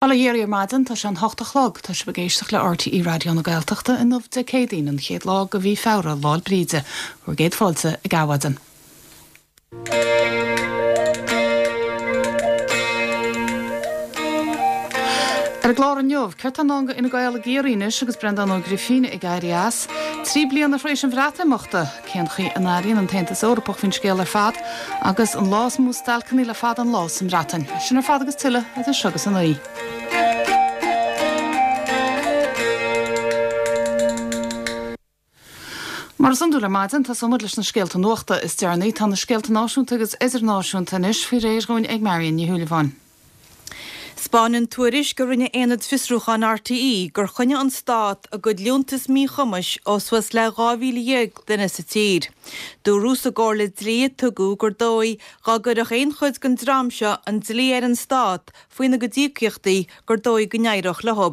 Bail ó Dhia oraibh ar maidin, tá sé an h-ocht a chlog, tá sibh ag éisteacht le RTÉ Raidió na Gaeltachta inniu Dé Céadaoin, an chéad lá de mhí Feabhra, Lá'l Bríde. Bhur gcéad fáilte ag Adhmhaidin. Ar an gclár inniu, céard tá i ndán do Fhine Gael i gCiarraí anois agus Breandán Ó Grifín ag éirí as? 3 bliana tar éis an Bhreatimeachta, cén chaoi a n-airíonn an tAontas Eorpach faoin scéal ar fad? Agus an lá is mó stailceanna le fada an lá sa mBreatain. Sin ar fad agus tuilleadh idir seo agus a 9. Mar is iondúil ar maidin, tosóidh muid leis na scéalta nuachta is deireanaí. Tá na scéalta náisiúnta agus idirnáisiúnta anois faoi réir dhúinn ag Marion Ní Shúilleabháin. 'Spáineann tuairisc a rinne Aonad Fiosrúcháin RTÉ gur choinnigh an Stát a gcuid liúntas míchumais ó suas le 12,000 duine sa tír. Dúradh sa gcomhairle dlí a tugadh gur dóigh dá gcuirfeadh aon chuid den dream seo an dlí ar an Stát faoina gcuid íocaíochtaí gur dóigh go n-éireodh leo.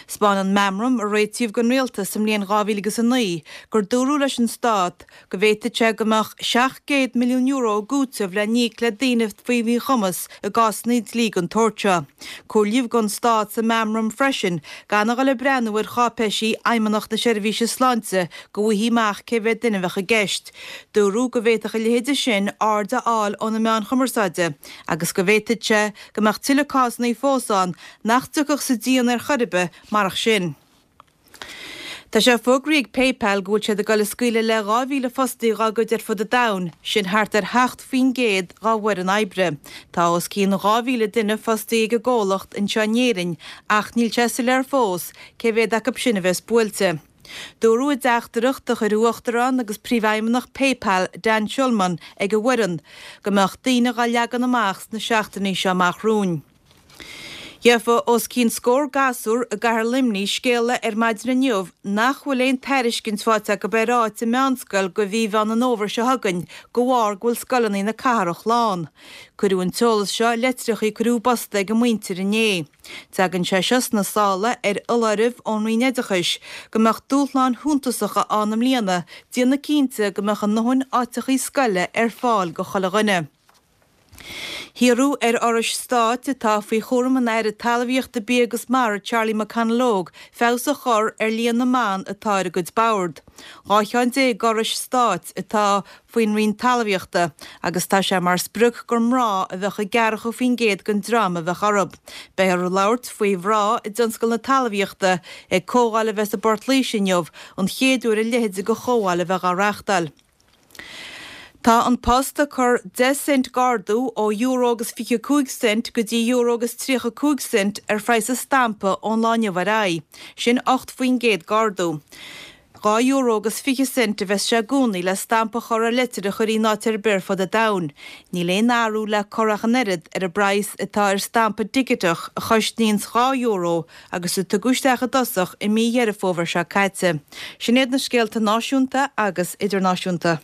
'Spáineann meamram a réitíodh don Rialtas sa mbliain 2009 gur dúradh leis an Stát go bhféadfadh sé go mbeadh €700 milliún i gcúiteamh le n-íoc le daoine faoi mhíchumas i gcásanna dlí den tsórt seo. Comhairlíodh don Stát sa meamram freisin gan a dhul ag breathnú ar cháipéisí Fheidhmeannacht na Seirbhíse Sláinte go bhfaighfí amach cé mhéad duine a bheadh i gceist. Dúradh go bhféadfadh a leithéide sin aird a fháil ó na meáin chumarsáide agus go bhféadfadh sé go mbeadh tuilleadh cásanna fós ann nach dtiocfadh sa díon ar chor ar bith marach sin. Tá sé fógraithe ag PayPal go bhfuil siad ag dul ag scaoileadh le 2,000 fostaí dhá gcuid ar fud an domhain, sin thart ar 7% dhá bhfoireann oibre. Tá os cionn 2,000 duine fostaithe ag an gcomhlacht anseo in Éirinn ach níl sé soiléir fós cé mhéad acu sin a bheas buailte. Dúradh i dteachtaireacht a chuir Uachtarán agus Príomhfheidhmeannach PayPal, Dan Schulman, ag an bhfoireann, go mbeadh daoine dhá leagan amach sna seachtainí seo amach romhainn. Gheofa os cionn scór gasúr i gcathair Luimnigh scéala ar maidin inniu nach bhfuil aon tairiscint faighte acu ar áit i meánscoil go mhí Mheán an Fhómhair seo chugainn de bharr go bhfuil scoileanna na cathrach lán. Cuireadh an t-eolas seo i litreacha a cuireadh i bpost ag a muintir inné. Tagann sé seo sna sála ar fholáireamh ón Roinn Oideachais go mbeadh dúshláin shuntasacha ann i mbliana déanamh cinnte go mbeadh a ndóthain áiteachaí scoile ar fáil go chuile dhuine. Hiarradh ar fhorais stáit atá faoi chúram an Aire Talmhaíochta, Bia agus Mara Charlie McConalogue feabhas a chur ar líon na mban atá ar a gcuid bord. 12 cheann d'fhorais stáit atá faoin Roinn Talmhaíochta agus tá sé mar sprioc gur mná a bheadh i gceathracha% den dream a bheadh orthu. Beifear ag labhairt faoi mhná i dtionscal na talmhaíochta ag comhdháil a bheas i bPort Laoise inniu, an chéad uair a leithéid de chomhdháil a bheith á reáchtáil. Tá An Post ag cur 10 cent d'ardú ó euro agus 25 cent go dtí euro agus 35 cent ar phraghas an stampa ón lá inniu ar aghaidh. Sin 8% d'ardú. 2 euro agus 20 cent a bheas sé i gcónaí le stampa a chur ar litir a chur in áit ar bith ar fud an domhain. Níl aon athrú le cur ach an oiread ar an bpraghas atá ar stampa digiteach a chosnaíonns 2 euro agus a tugadh isteach i dtosach i mí Dheireadh Fómhair seo caite. Sin iad na scéalta náisiúnta agus idirnáisiúnta.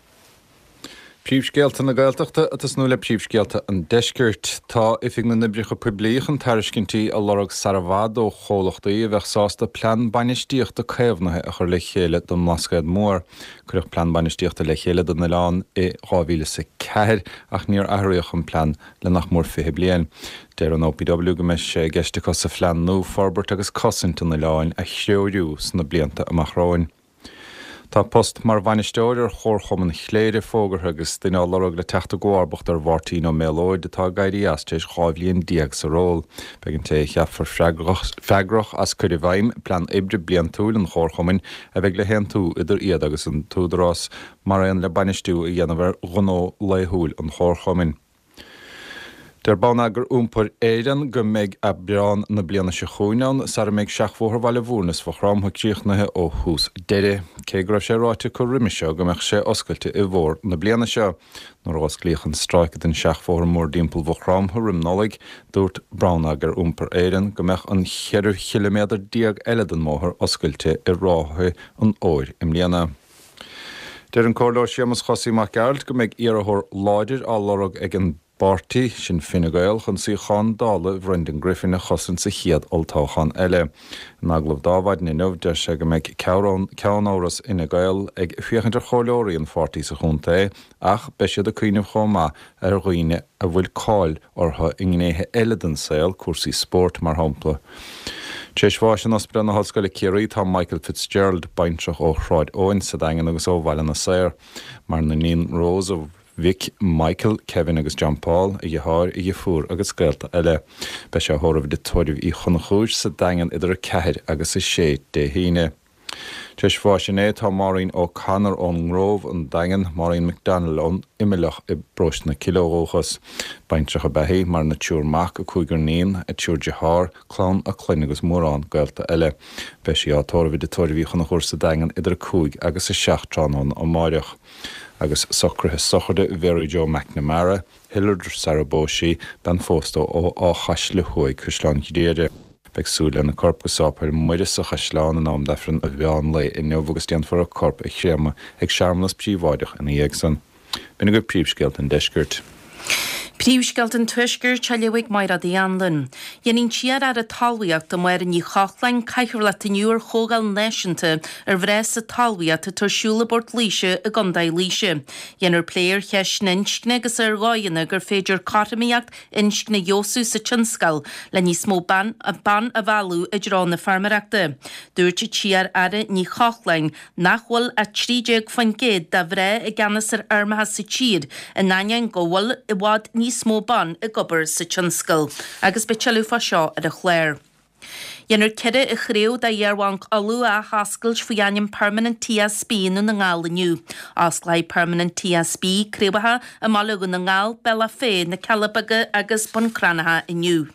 Príomhscéalta na Gaeltachta ag tosnú le príomhscéalta an Deiscirt. Tá Oifig na nOibreacha Poiblí chun tairiscintí a lorg sar i bhfad ó chomhlachtaí a bheadh sásta plean bainistíochta caomhnaithe a chur le chéile don mBlascaod Mór. Cuireadh plean bainistíochta le chéile don oileán i 2004 ach níor athraíodh an plean le nach mór 20 bliain. Deir an OPW go mbeidh sé i gceist acu sa phlean nua forbairt agus cosaint an oileáin a threorú sna blianta amach romhainn. Tá post mar bhainisteoir ar Chomharchumann Chléire fógartha agus duine á lorg le teacht i gcomharbacht ar Mháirtín Ó Méalóid atá ag éirí as tar éis 12 bhliain sa ról. Beidh an té a cheapfar freagrach as cur i bhfeidhm plean oibre bliantúil an chomharchumainn a bheidh le haontú idir iad agus an tÚdarás mar aon le bainistiú a dhéanamh ar ghnó laethúil an chomharchumainn. Deir Bonneagar Iompair Éireann go mbeidh Aibreán na bliana seo chugainn ann sara mbeidh Seachbhóthar Bhaile Bhúirne is Mhaigh Chromtha críochnaithe ó thús deireadh, cé go raibh sé ráite acu roimhe seo go mbeadh sé oscailte i bhfómhar na bliana seo. Nuair a osclaíodh an stráice den seachbhóthar mórdtimpeall Mhaigh Chromtha roim Nollaig, dúirt Bonneagar Iompair Éireann go mbeadh an 14 chiliméadar eile den mbóthar oscailte i ráithe an fhómhair i mbliana. Deir an Comhairleoir Séamus Chosaí Mac Gearailt go mbeidh iarrthóir láidir á lorg ag an. bpáirtí, sin Fine Gael, chun suíochán Dála Bhrendan Griffin a chosaint sa chéad olltoghchán eile. In agallamh d'Adhmhaidin inniu, deir sé go mbeidh ceannáras Fhine Gael ag féachaint ar chomhairleoirí an pháirtí sa chontae ach beidh siad ag cuimhneamh chomh maith ar dhaoine a bhfuil cáil orthu i ngnéithe eile den saol, cúrsaí spóirt, mar shampla. Tar éis bháis in Ospidéal na hOllscoile Ciarraí tá Michael Fitzgerald, baintreach ó Shráid Eoin sa Daingean agus ó Bhaile na Saor. Maireann a iníon Rose, a mhic Michael, Kevin agus John Paul, a dheartháir, a dheirfiúr agus gaolta eile. Beidh sé á thórramh i dTigh Tórraimh Uí Chonchúir sa Daingean idir 4 agus 6 Dé hAoine. Tar éis bháis inné tá Maureen O'Connor ón nGrove, an Daingean, Maureen McDonnell ón Imileach i bParóiste na Cille ó dhúchas. Baintreach ab ea í, maireann a triúr mac, a cúigear níon, a triúr dearthár, clann a clainne agus mórán gaolta eile. Beidh sí á tórramh i dTigh Tórraimh Uí Chonchúir sa Daingean idir 5 agus 7 tráthnóna amáireach. Agus socruithe sochraide Mhary Jo McNamara, Hillard sar a bpós sí, bean phósta ó Áth Chaisle Thuaidh, Caisleán Ghriaire. Beidh súil lena corp go Sáipéal Muire sa Chaisleán in am d'Aifreann an mheán lae inniu agus déanfar a corp a chréamadh ag searmanas príobháideach ina dhiaidh san. B'in agaibh príomhscéalta an deiscirt. Príomhscéalta an Tuaiscirt á léamh ag Mairéad Uí Anluain. Déanfaidh an t-iar-aire talmhaíochta Máire Ní Chochláin cathaoirleacht inniu ar chomhdháil náisiúnta ar mhná sa talmhaíocht atá ar siúl i bPort Laoise i gContae Laoise. Déanfar plé ar cheisteanna inscne agus ar dhóigheanna gur féidir cothromaíocht inscne a fheabhsú sa tionscal le níos mó ban a mhealladh i dtreo na feirmeoireachta. Dúirt an t-iar-aire Ní Chochláin nach bhfuil ach 13% de mhná i gceannas ar fheirmeacha sa tír in ainneoin go bhfuil i bhfad níos mó ban ag obair sa tionscal. Agus beidh tuilleadh fá seo ar an chlár. Déanfar ceithre chraobh d'Iar-Bhanc Uladh a athoscailt faoi ainm Permanent TSB i nDún na nGall inniu. Osclóidh Permanent TSB craobhacha i mBaile Dhún na nGall, Bealach Féich, Na Cealla Beaga agus Bun Cranncha inniu.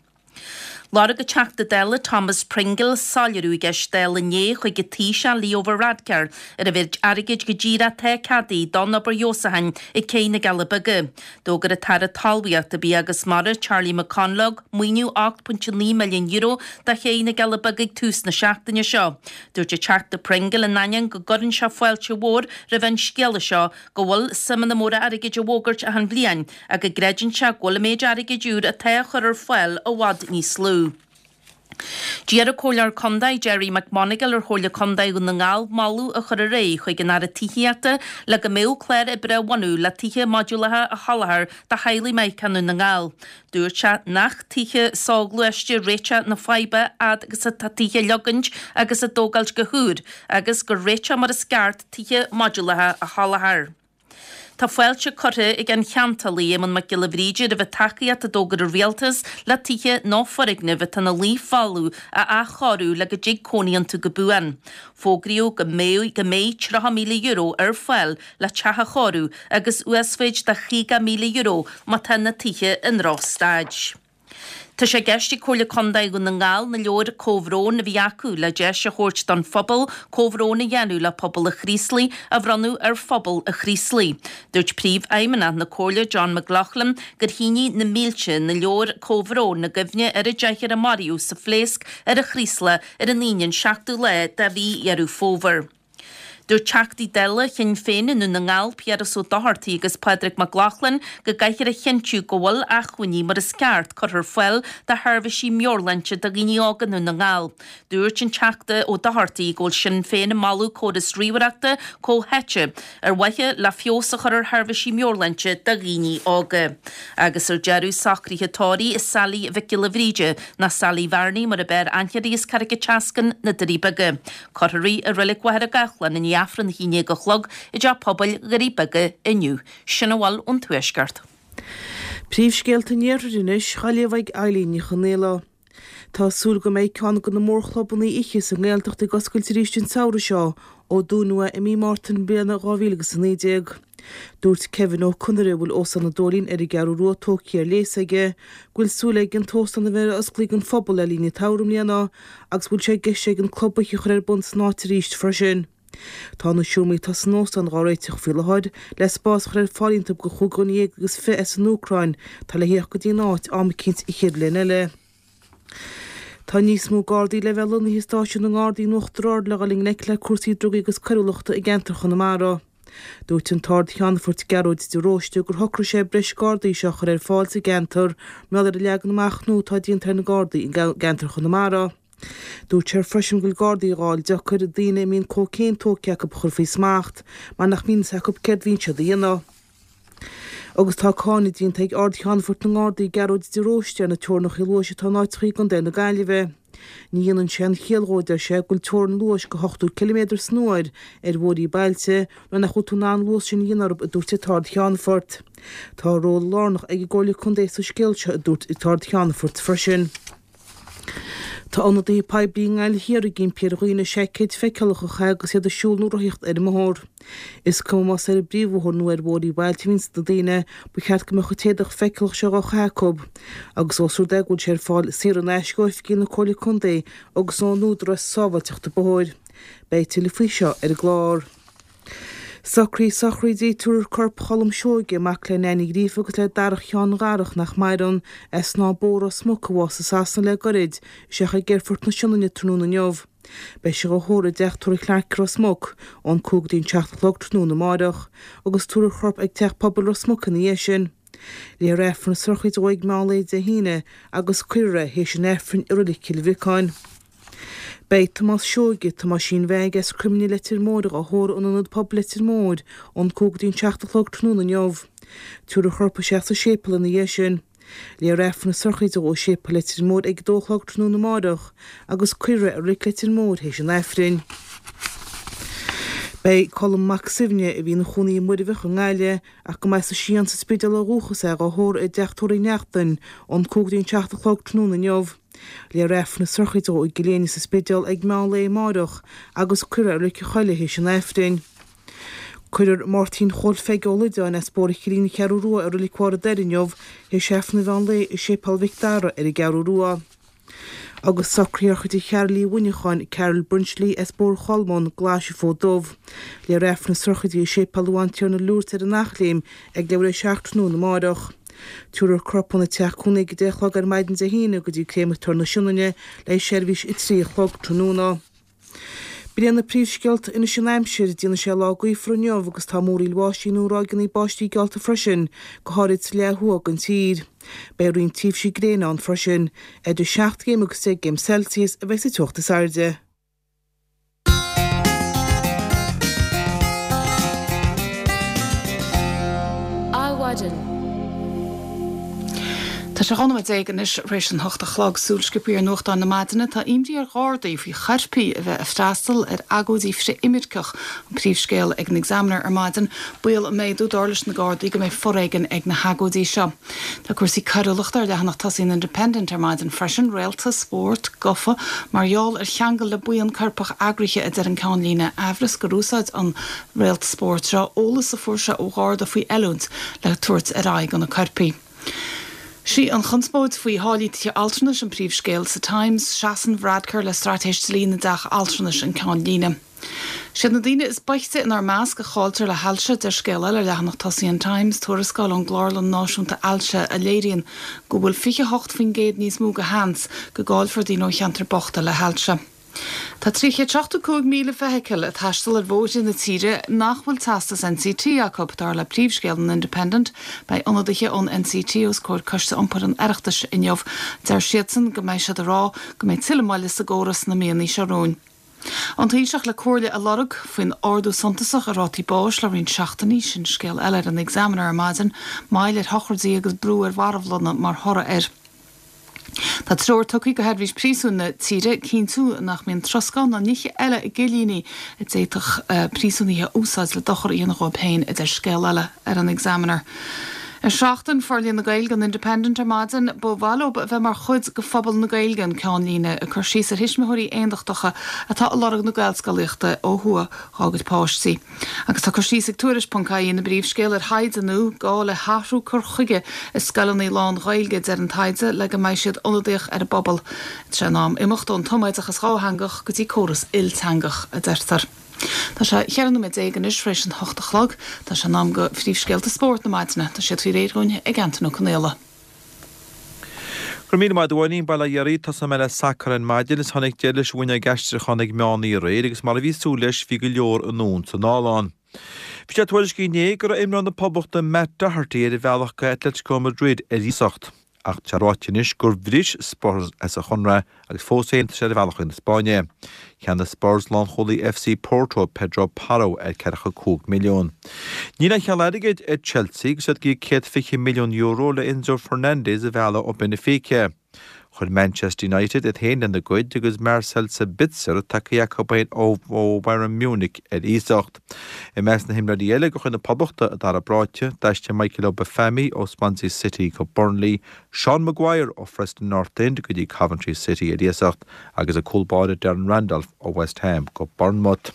Lorg an Teachta Dála Thomas Pringle soiléiriú i gceist Dála inné chuig an Taoiseach Leo Varadkar ar an mhéid airgid go díreach atá ceadaithe don obair fheabhsúcháin ag Cé na gCealla Beaga. D'fhógair an tAire Talmhaíochta, Bia agus Mara, Charlie McConalogue, maoiniú €8.9 milliún do Ché na gCealla Beaga ag tús na seachtaine seo. Dúirt an Teachta Pringle in ainneoin go gcuireann sé fáilte mhór roimh an scéala seo go bhfuil suimeanna móra airgid á bhfógairt achan bhliain ach go gcreideann sé go bhfuil an méid airgid úr atá á chur ar fáil i bhfad níos lú. D'iarr an Comhairleoir Contae Gerry McMonagle ar Chomhairle Contae Dhún na nGall moladh a chur ar aghaidh chuig an Aire Tithíochta le go mbeadh clár oibre á bhunú le tithe modúlacha a sholáthar do theaghlaigh i nDún na nGall. Dúirt sé nach tithe soghluaiste réiteach na faidhbe fhad agus atá tithe á leogaint agus á dtógáilt go húr agus gur réiteach mar is ceart tithe modúlacha a sholáthar. Tá fáilte curtha ag an cheantálaí Éamonn Mac Giolla Bhríde roimh an tacaíocht a d'fhógair an Rialtas le tithe nó foirgnimh atá ina luí folamh a athchóiriú le go dtig cónaí iontu go buan. Fógraíodh go mbeidh go mbeidh €30,000 ar fáil le teach a chóiriú agus uasmhéid de €50,000 má tá na tithe i ndrochstaid. Tá sé i gceist ag Comhairle Contae Dhún na nGall na leabhair comhbhróin a bhí acu le deis a thabhairt don phobal comhbhrón a dhéanamh le pobal an Chraoslaigh a bhronnadh ar phobal an Chraoslaigh. Dúirt Príomhfheidhmeannach na Comhairle John McLaughlin gur shínigh na mílte na leabhair comhbhróin i gcuimhne ar an deichniúr a maraíodh sa phléasc ar an Chraoslach ar an Aoine an 7ú lá de mhí Dheireadh Fómhair. Dúirt Teachtaí Dála Shinn Féin i nDún na nGall, Piaras Ó Dochartaigh agus Pádraig Mac Lochlainn, go gcaithfear a chinntiú go bhfuil acmhainní mar is ceart curtha ar fáil do sheirbhísí meabhairshláinte do dhaoine óga i nDún na nGall. Dúirt an Teachta Ó Dochartaigh go bhfuil Sinn Féin ag moladh córas ríomhaireachta comhtháite ar mhaithe le feabhas a chur ar sheirbhísí meabhairshláinte do dhaoine óga. Agus ar deireadh, socruithe tórraimh Sally Mhic Giolla Bhríde, nó Sally Bhearnaí mar ab fhearr aithne uirthi as Carraig an tSeascainn, na Doirí Beaga. Cuirfear í i Reilig Mhachaire Gathlán i ndiaidh Aifreann a 11 a chlog i dTeach Pobail Dhoirí Beaga inniu. Sin a bhfuil ón Tuaisceart. Príomhscéalta an Iarthair anois, á léamh ag Eileen Ní Chonaola. Tá súil go mbeidh ceann de na mórchlubanna oíche sa nGaeltacht ag oscailt arís an samhradh seo ó dúnadh é i mí Márta na bliana 2019. Dúirt Kevin Ó Conaire, a bhfuil Óstán an Dóilín ar an gCeathrú Rua tógtha ar léas aige, go bhfuil súil aige an t-óstán a bheith osclaithe don phobal le linn an tsamhraidh i mbliana agus go bhfuil sé i gceist aige an club oíche a chur ar bun san áit arís freisin. Tá na seomraí atá san óstán dhá réiteach faoi láthair le spás a chur ar fáil iontu do chúig dhuine dhéag agus fiche as an Úcráin atá le theacht go dtí an áit am eicínt an chéad bhliain eile. Tá níos mó Gardaí le bheith lonnaithe i stáisiún na nGardaí in Uachtar Ard le dhul i ngleic le cúrsaí drugaí agus coiriúlachta i gceantar Chonamara. Dúirt an tArd-Cheannfort Gearóid de Róiste gur shocraigh sé breis Gardaí seo a chur ar fáil sa gceantar mar gheall ar an leagan amach nua atá déanta ar na Gardaí i gceantar Chonamara. Dúirt sé freisin go bhfuil Gardaí á fháil deacair daoine a mbíonn cócaon tógtha acu a chur faoi smacht mar nach mbíonn fhios acu céard a bhíonn siad a dhéanamh. Agus tá cáineadh déanta ag Ard-Cheannfort na nGardaí Gearóid de Róiste ar na teorainneacha luais atá in áiteacha i gContae na Gaillimhe. Ní dhéanann sé aon chiall dhó, a deir sé, go bhfuil teorainn luais go 80 ciliméadar san uair ar bhóithrí bailte nuair nach bhfuil tú in ann an luas sin a dhéanamh orthu, a dúirt an tArd-Cheannfort. Tá ról lárnach ag an gComhairle Contae sa scéal seo, a dúirt an tArd-Cheannfort freisin. Tá ionadaithe poiblí i nGaillimh Thiar ag impí ar dhaoine seaicéid feiceálach a chaitheamh agus iad ag siúl nó rothaíocht ar an mbóthar. Is cuma más ar an bpríomhbhóthar nó ar bhóithrí bailte a bhíonns na daoine, ba cheart go mbeadh an t-éadach feiceálach seo dhá chaitheamh acu. Agus ós rud é go bhfuil sé ar fáil saor in aisce ó oifigí na Comhairle Contae agus ón Údarás Sábháilteachta Bóthair. Beidh tuilleadh faoi seo ar an gclár. Socruithe sochraide tabharfar corp Cholm Seoige, mac le Neain Ní Ghríofa agus le Darach Sheáin Dharach nach maireann, as Snáth Bó, Ros Muc, a bhásaigh i Sasana le goirid, isteach ag Aerfort na Sionainne tráthnóna inniu. Beidh sé dhá thórramh i dteach tórraimh Chlarke, Ros Muc, ón 5 go dtí an 7 a chlog tráthnóna amáireach, agus tabharfar a chorp ag Teach Pobail Ros Muc ina dhiaidh sin. Léifear Aifreann na sochraide dó ag meán lae Dé hAoine agus cuirfear é théis an Aifrinn i Reilig Chill Bhriocáin. Beidh Tomás Seoige, Tomáisín Mheaig as Croimne Leitir Móir dhá thórramh in Ionad Pobail Leitir Móir ón 5 go dtí an 7 a chlog tráthnóna inniu. Tabharfar a chorp isteach sa séipéal ina dhiaidh sin. Léifear Aifreann na sochraide dó i Séipéal Leitir Móir ag 2 a chlog tráthnóna amáireach agus cuirfear é i Reilig Leitir Móir théis an Aifrinn. Beidh Colm Mac Suibhne, a bhí ina chónaí i Muirbheach i nGaillimh, ach go mba as an Sián sa Spidéal ó dhúchas é, dhá thórramh i dteach tórraimh Uí Neachtain ón 5 go dtí an 7 a chlog tráthnóna inniu. Léifear Aifreann na sochraide dó i gCill Éinne sa Spidéal ag meán lae amáireach agus cuirfear é i Reilig an Choilligh théis an Aifrinn. Cuirfear Máirtín Chóil Pheige Ó Loideáin as Bóthar Chillín an Cheathrú Rua i Reilig Bharr an Doire inniu théis Aifreann an mheán lae i Séipéal Mhic Dara ar an gCeathrú Rua. Agus socruithe shochraide Cheryl Uí Mhuineacháin, Carol Brinsly as Bóthar Cholmáin, Glais an Fód Dubh. Léifear Aifreann na sochraide i Séipéal an Bhantiarna Lourdes ar an Eachléim ag leathuair tar éis a 7 tráthnóna amáireach. Tabharfar a corp óna teach cónaí ag 10 a chlog ar maidin Dé hAoine go dtí Créamatóir na Sionainne le seirbhís 3 a chlog tráthnóna. B'in iad na príomhscéalta anois an aimsir, déanfaidh sé lá gaofar inniu agus tá múraíl bháistí nó ráigeanna báistí geallta freisin, go háirid sa leath thuaidh den tír. Beidh roinnt tréimhsí gréine ann freisin. Idir 7 gcéim agus 10 gcéim Celsius a bheidh sa teocht is airde. Adhmhaidin. Tá sé 12 nóiméad anois tar éis an hocht a chlog. Súil sciobtha ar nuachtáin na maidine. Tá imní ar Ghardaí faoi choirpigh a bheith ag freastal ar agóidí frith-imirceach, an príomhscéal ag an Examiner ar maidin. Baol ag méadú, dar leis na Gardaí, go mbeidh foréigean ag na hagóidí seo. Tá cúrsaí coiriúlachta ar leathanach tosaigh an Independent ar maidin freisin, réalta spóirt gafa mar gheall ar cheangal le buíon coirpeach eagraithe, a deir an ceannlíne. Aimhreas gur úsáid an réalt spóirt seo eolas a fuair sé ó Gharda faoi oiliúint le tabhairt ar aghaidh do na coirpigh. Sí an chonspóid faoi tháillí tithe altranais an príomhscéal sa Times. Seasann Varadkar le straitéis dlí na dteach altranais an ceannlíne. Siad na daoine is boichte inár measc a chailltear le hailse, deir scéal eile ar leathanach tosaigh an Times, tuarascáil ón gClárlann Náisiúnta Ailse a léiríonn go bhfuil 28% níos mó de sheans go gcaillfear daoine ó cheantair bochta le hailse. Tá 375,000 feithicil ag taisteal ar bhóithre na tíre nach bhfuil teastas NCT acu, dar le príomhscéal an Independent. Beidh ionadaithe ón NCT os comhair Coiste Iompair an Oireachtais inniu. Deir siadsan go mbeidh siad ag rá go mbeidh tuilleadh moille sa gcóras sna míonna seo romhainn. An Taoiseach le comhairle a lorg faoin ardú suntasach i rátaí báis le roinnt seachtainí, sin scéal eile ar an Examiner ar maidin. Moill ar shochraidí agus brú ar mharbhlanna mar thoradh air. Tá treoir tugtha do sheirbhís príosúin na tíre cinntiú nach mbíonn troscán ná nithe eile i gcillíní a d'fhéadfadh príosúnaithe a úsáid le dochar a dhéanamh dhóibh féin, a deir scéal eile ar an Examiner. Ar Seachtain Forlíonadh na Gaeilge an Independent ar maidin, ba mhaith leo a bheith mar chuid de phobal na Gaeilge, an ceannlíne, ag cur síos ar thuismitheoirí aondachtacha atá ag lorg na Gaelscolaíochta ó thuaidh dhá gcuid páistí. Agus tá cur síos ag Tuairisc ponc ie ina bpríomhscéal ar thaighde nua, gá le hathrú cur chuige i scoileanna lán-Ghaeilge, a deir an taighde, le go mbeidh siad ionadaíoch ar an bpobal. Tá sé in am imeacht ón tumoideachas dhátheangach go dtí córas ilteangach, a deirtear. Tá sé 14 nóiméad anois tar éis an hocht a chlog. Tá sé in am do phríomhscéalta spóirt na maidine. Tá siad faoi réir dhúinn ag Antain Ó Conaola. Go raibh míle maith agat a Mháirín, Bail ó Dhia oraibh, tosóidh mé le sacar ar maidin is tháinig deireadh leis an bhfuinneog aistriúcháin ag meán oíche aréir agus mar a bhí súil leis bhí go leor anonn 's anall ann. Bhí sé tuairiscithe inné go raibh imreoir na Poblachta Matt Doherty ar a bhealach go Atletico Madrid ar iasacht. Ach tá sé ráite anois gur bhris Spurs as a chonradh agus fós féin tá sé ar a bhealach chuig na Spáinne. Cheannaigh Spurs lánchúlaí FC Porto, Pedro Porro, ar 45 milliún. Níl aon cheal airgid ag Chelsea agus iad ag iarraidh €120 milliún le Enzo Fernandez a mhealladh ó Benfica. Chuir Manchester United iad féin lena gcuid agus Marcel Sabitzer tagtha acu ó Bayern Munich ar iasacht. I measc na himreoirí eile de chuid na Poblachta a d'athair bráite, d'aistrigh Michael Obafemi ó Swansea City go Burnley, Sean Maguire ó Preston North End go dtí Coventry City ar iasacht agus an cúl báire Darren Randolph ó West Ham go Bournemouth.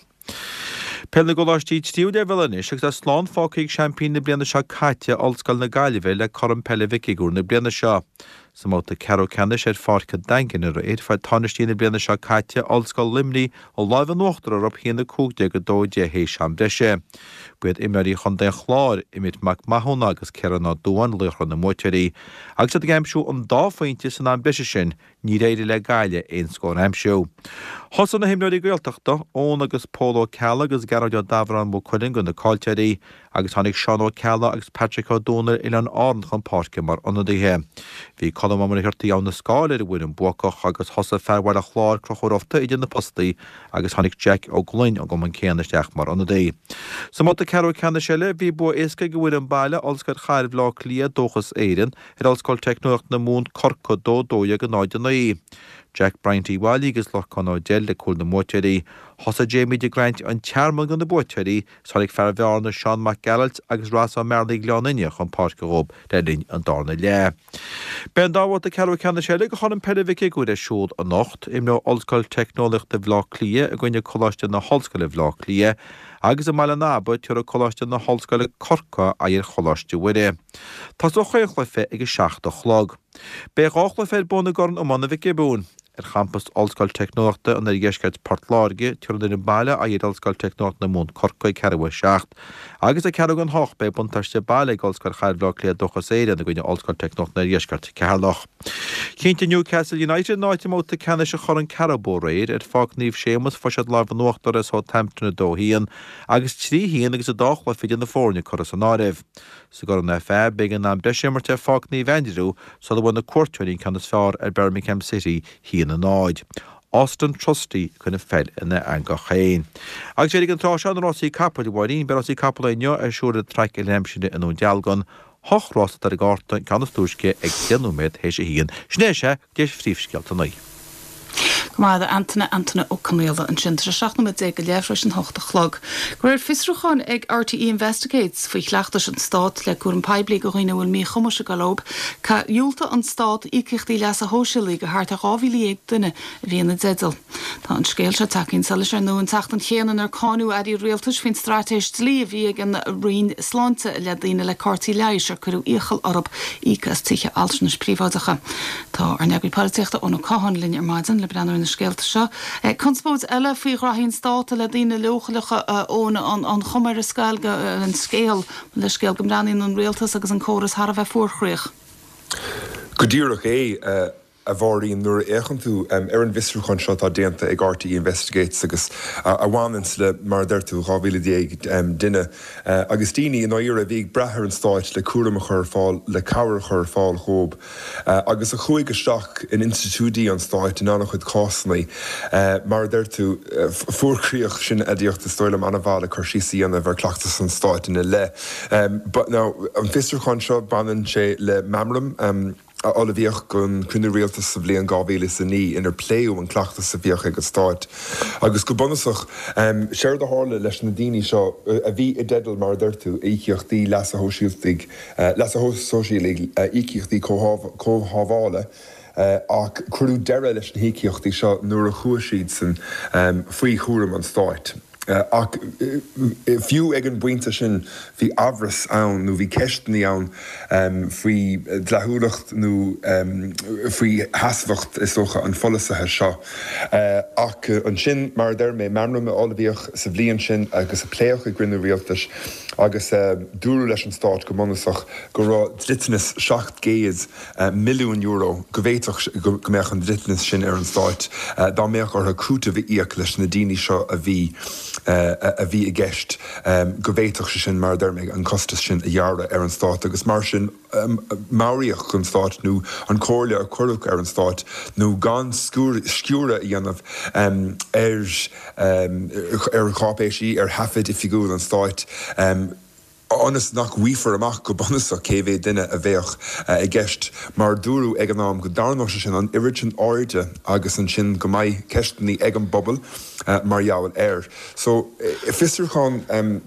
Peil na gColáistí Tríú Leibhéal anois agus tá slán fágtha ag seaimpíní na bliana seo caite, Ollscoil na Gaillimhe, le Corn Peile Mhic Uidhir na bliana seo. Sa mbabhta ceathrú ceannais ar Pháirc an Daingin aréir, fuair tánaistí na bliana seo caite, Ollscoil Luimnigh, an láimh in uachtar orthu, 1-15, 2-10 théis am breise. Ba iad imreoirí chontae an Chláir, Emmet Mac Mathúna agus Ciarán Ó Dubháin, laochra na mbuaiteoirí. Agus iad ag aimsiú an dá phointe san am breise sin, Níor éirigh le Gaillimh aon scór a aimsiú. Thosaigh na himreoirí Gaeltachta, Eoin agus Pól Ó Ceallaigh agus Gearóid Ó Dabhráin Mhaigh Cuilinn do na caillteoirí agus tháinig Seán Ó Ceallaigh agus Patrick Ó Dónaill Oileáin Árann chun páirce mar ionadaithe. Bhí Colm Ó Muircheartaigh Abha na Scáil ar an bhfoireann buacach agus thosaigh fear Bhaile Chláir Conchúr Ó Fiaich idir na postaí agus tháinig Jack Ó Gloinn ón gcumann céanna isteach mar ionadaí. Sa mbabhta ceathrú ceannais eile bhí bua éasca ag an bhfoireann baile, Ollscoil Chathair Bhaile Átha Cliath, Dúchas Éireann, ar Ollscoil Teicneolaíocht na Mumhan, Corcaigh, 2, 12, 0, 9. Jack Bryant Uíbh Fhailí agus Lorcán Ó Deil le cúil na mbuaiteoirí. Thosaigh Jamie de Graint, An Tearmann do na buaiteoirí is tháinig fear Bhearna, Seán Mac Gearailt agus Ross Ó Mearlaí Ghleann Fhinne chun páirce dhóibh le linn an darna leath. Beidh an dá bhabhta ceathrú ceannais eile de Chorn Peile Mhic Uidhir ar siúl anocht. Imreoidh Ollscoil Teicneolaíochta Bhaile Átha Cliath i gcoinne Coláiste na hOllscoile Bhaile Átha Cliath agus i mBaile an Aba tabharfaidh Coláiste na hOllscoile Corcaigh aghaidh ar Choláiste Mhuire. Tosóidh chaon chluiche ag 7 a chlog. Beidh 2 chluiche ar bun i gCorn Iomána Mhic Giobúin. Ar champas Ollscoil Teicneolaíochta an Oirdheiscirt Port Láirge, tabharfaidh an fhoireann baile aghaidh ar Ollscoil Teicneolaíochta na Mumhan Corcaigh ag ceathrú a 7 agus ag ceathrú don hocht beidh buntáiste baile ag Ollscoil Chathair Bhaile Átha Cliath Dúchas Éireann i gcoinne Ollscoil Teicneolaíochta an Oirdheiscirt Ceatharlach. Chinntigh Newcastle United a n-áit i mbabhta ceannais an Chorn Carabao aréir ar Pháirc Naomh Séamus fuair siad lámh in uachtar ar Southampton 2 1 agus 3 1 agus an dá chluiche idir na foirne curtha san áireamh. Sa gCorn FA, b'éigean am breise a imirt ar Pháirc Naomh Aindriú sula bhfuair na cuairteoirí an ceann is fearr ar Birmingham City 1, 0. Auston Trusty ag cur an pheil ina eangach féin. Agus d'éirigh an tráth seo na rásaí capaill, a Mháirín. Beidh rásaí capall inniu ar siúl ar an traic i Aimsire i nDún Dealgan. Hocht rás atá ar an gcárta, an ceann is túisce ag 10 nóiméad théis a haon. Sin é, sea, go dtí phríomhscéalta an lae. Go maith, a Antaine, Antaine Ó Conaola ansin. Tá sé 17 nóiméad go leith tar éis an hocht a chlog. Go raibh fiosrúchán ag RTÉ Investigates faoi chleachtais an Stáit le cúram poiblí do dhaoine a bhfuil míchumais ag dul leo. Dhiúltaigh an Stát íocaíochtaí leasa shóisialaigh do thart ar 12,000 duine a bhí ina dteideal. Tá an scéal seo tagtha chun solais ar ndóigh an tseachtain chéanna inar cáineadh airí rialtais faoin straitéis dlí a bhí ag an Roinn Sláinte i leith daoine le cártaí leighis ar cuireadh iachall orthu íoc as tithe altranais príobháideacha. Tá ár n-eagraí polaitíochta Eoin Ó Catháin linn ar maidin le breathnú ar na scéalta seo. Conspóid eile faoi ghraithí an Stáit i leith daoine leochaileacha, a Eoin, an chuma ar an scéal, an scéal, leithscéal, go mbreathnaíonn an rialtas agus an córas thar a bheith fuarchroíoch. Go díreach é, a Mháirín, nuair a fhéachann tú ar an bhfiosrúchán seo atá déanta ag RTÉ Investigates agus a bhaineanns le, mar a deir tú, 12,000 duine agus daoine i ndáiríre a bhí ag brath ar an Stáit le cúram a chur ar fáil, le cabhair a chur ar fáil dhóibh. agus a chuaigh isteach in institiúidí an stáit in an-chuid cásanna. Mar a deir tú, fuarchroíoch, sin aidiacht is dóigh liom an-mhaith le cur síos a dhéanamh ar chleachtas an stáit ina leith. Now, an fiosrúchán seo, baineann sé le meamram a ullmhaíodh don chruinniú rialtais sa bhliain 2009 inar pléadh an cleachtas a bhíodh ag an Stát. Agus go bunúsach, séard a tharla leis na daoine seo a bhí i dteideal, mar a deir tú, íocaíochtaí leasa shóisialtaigh, leasa shóisialaigh, íocaíochtaí comhshábhála, ach cuireadh deireadh leis na híocaíochtaí seo nuair a chuaigh siadsan faoi chúram an stáit. Ach fiú ag an bpointe sin bhí amhras ann nó bhí ceisteanna ann faoi dleathúlacht nó faoi sheasmhacht, is dócha, an pholasaithe seo. Ach ansin, mar a deir mé, meamram a ullmhaíodh sa bhliain sin agus a pléadh i gcruinniú rialtais. Agus dúradh leis an Stát go bunúsach go raibh dliteanas €700 milliún, go bhféadfadh go mbeadh an dliteanas sin ar an Stát dá mbeadh orthu cúiteamh a íoc leis na daoine seo a bhí a bhí i gceist, go bhféadfadh sé sin, mar a deir mé, an costas sin a ghearradh ar an Stát agus mar sin meabhraíodh don Stát nó an comhairle a cuireadh ar an Stát nó gan sciúradh a dhéanamh ar ar cháipéisí, ar thaifid oifigiúil an Stáit. Ionas nach bhfaighfear amach go bunúsach cé mhéad duine a bheadh i gceist, mar dúradh ag an am go dtarraingeodh sé sin an oiread sin airde agus ansin go mbeidh ceisteanna ag an bpobal mar gheall air. So, fiosrúchán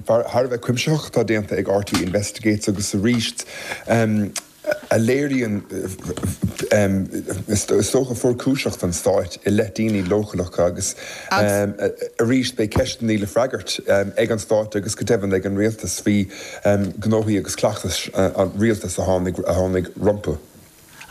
thar a bheith cuimsitheach atá déanta ag RTÉ Investigates agus arís, a léiríonn, is dócha, fuarchúiseacht an stáit i leith daoine leochaileacha agus arís beidh ceisteanna le freagairt ag an stát agus go deimhin ag an rialtas faoi ghnóthaí agus cleachtais an rialtais a tháinig rompu.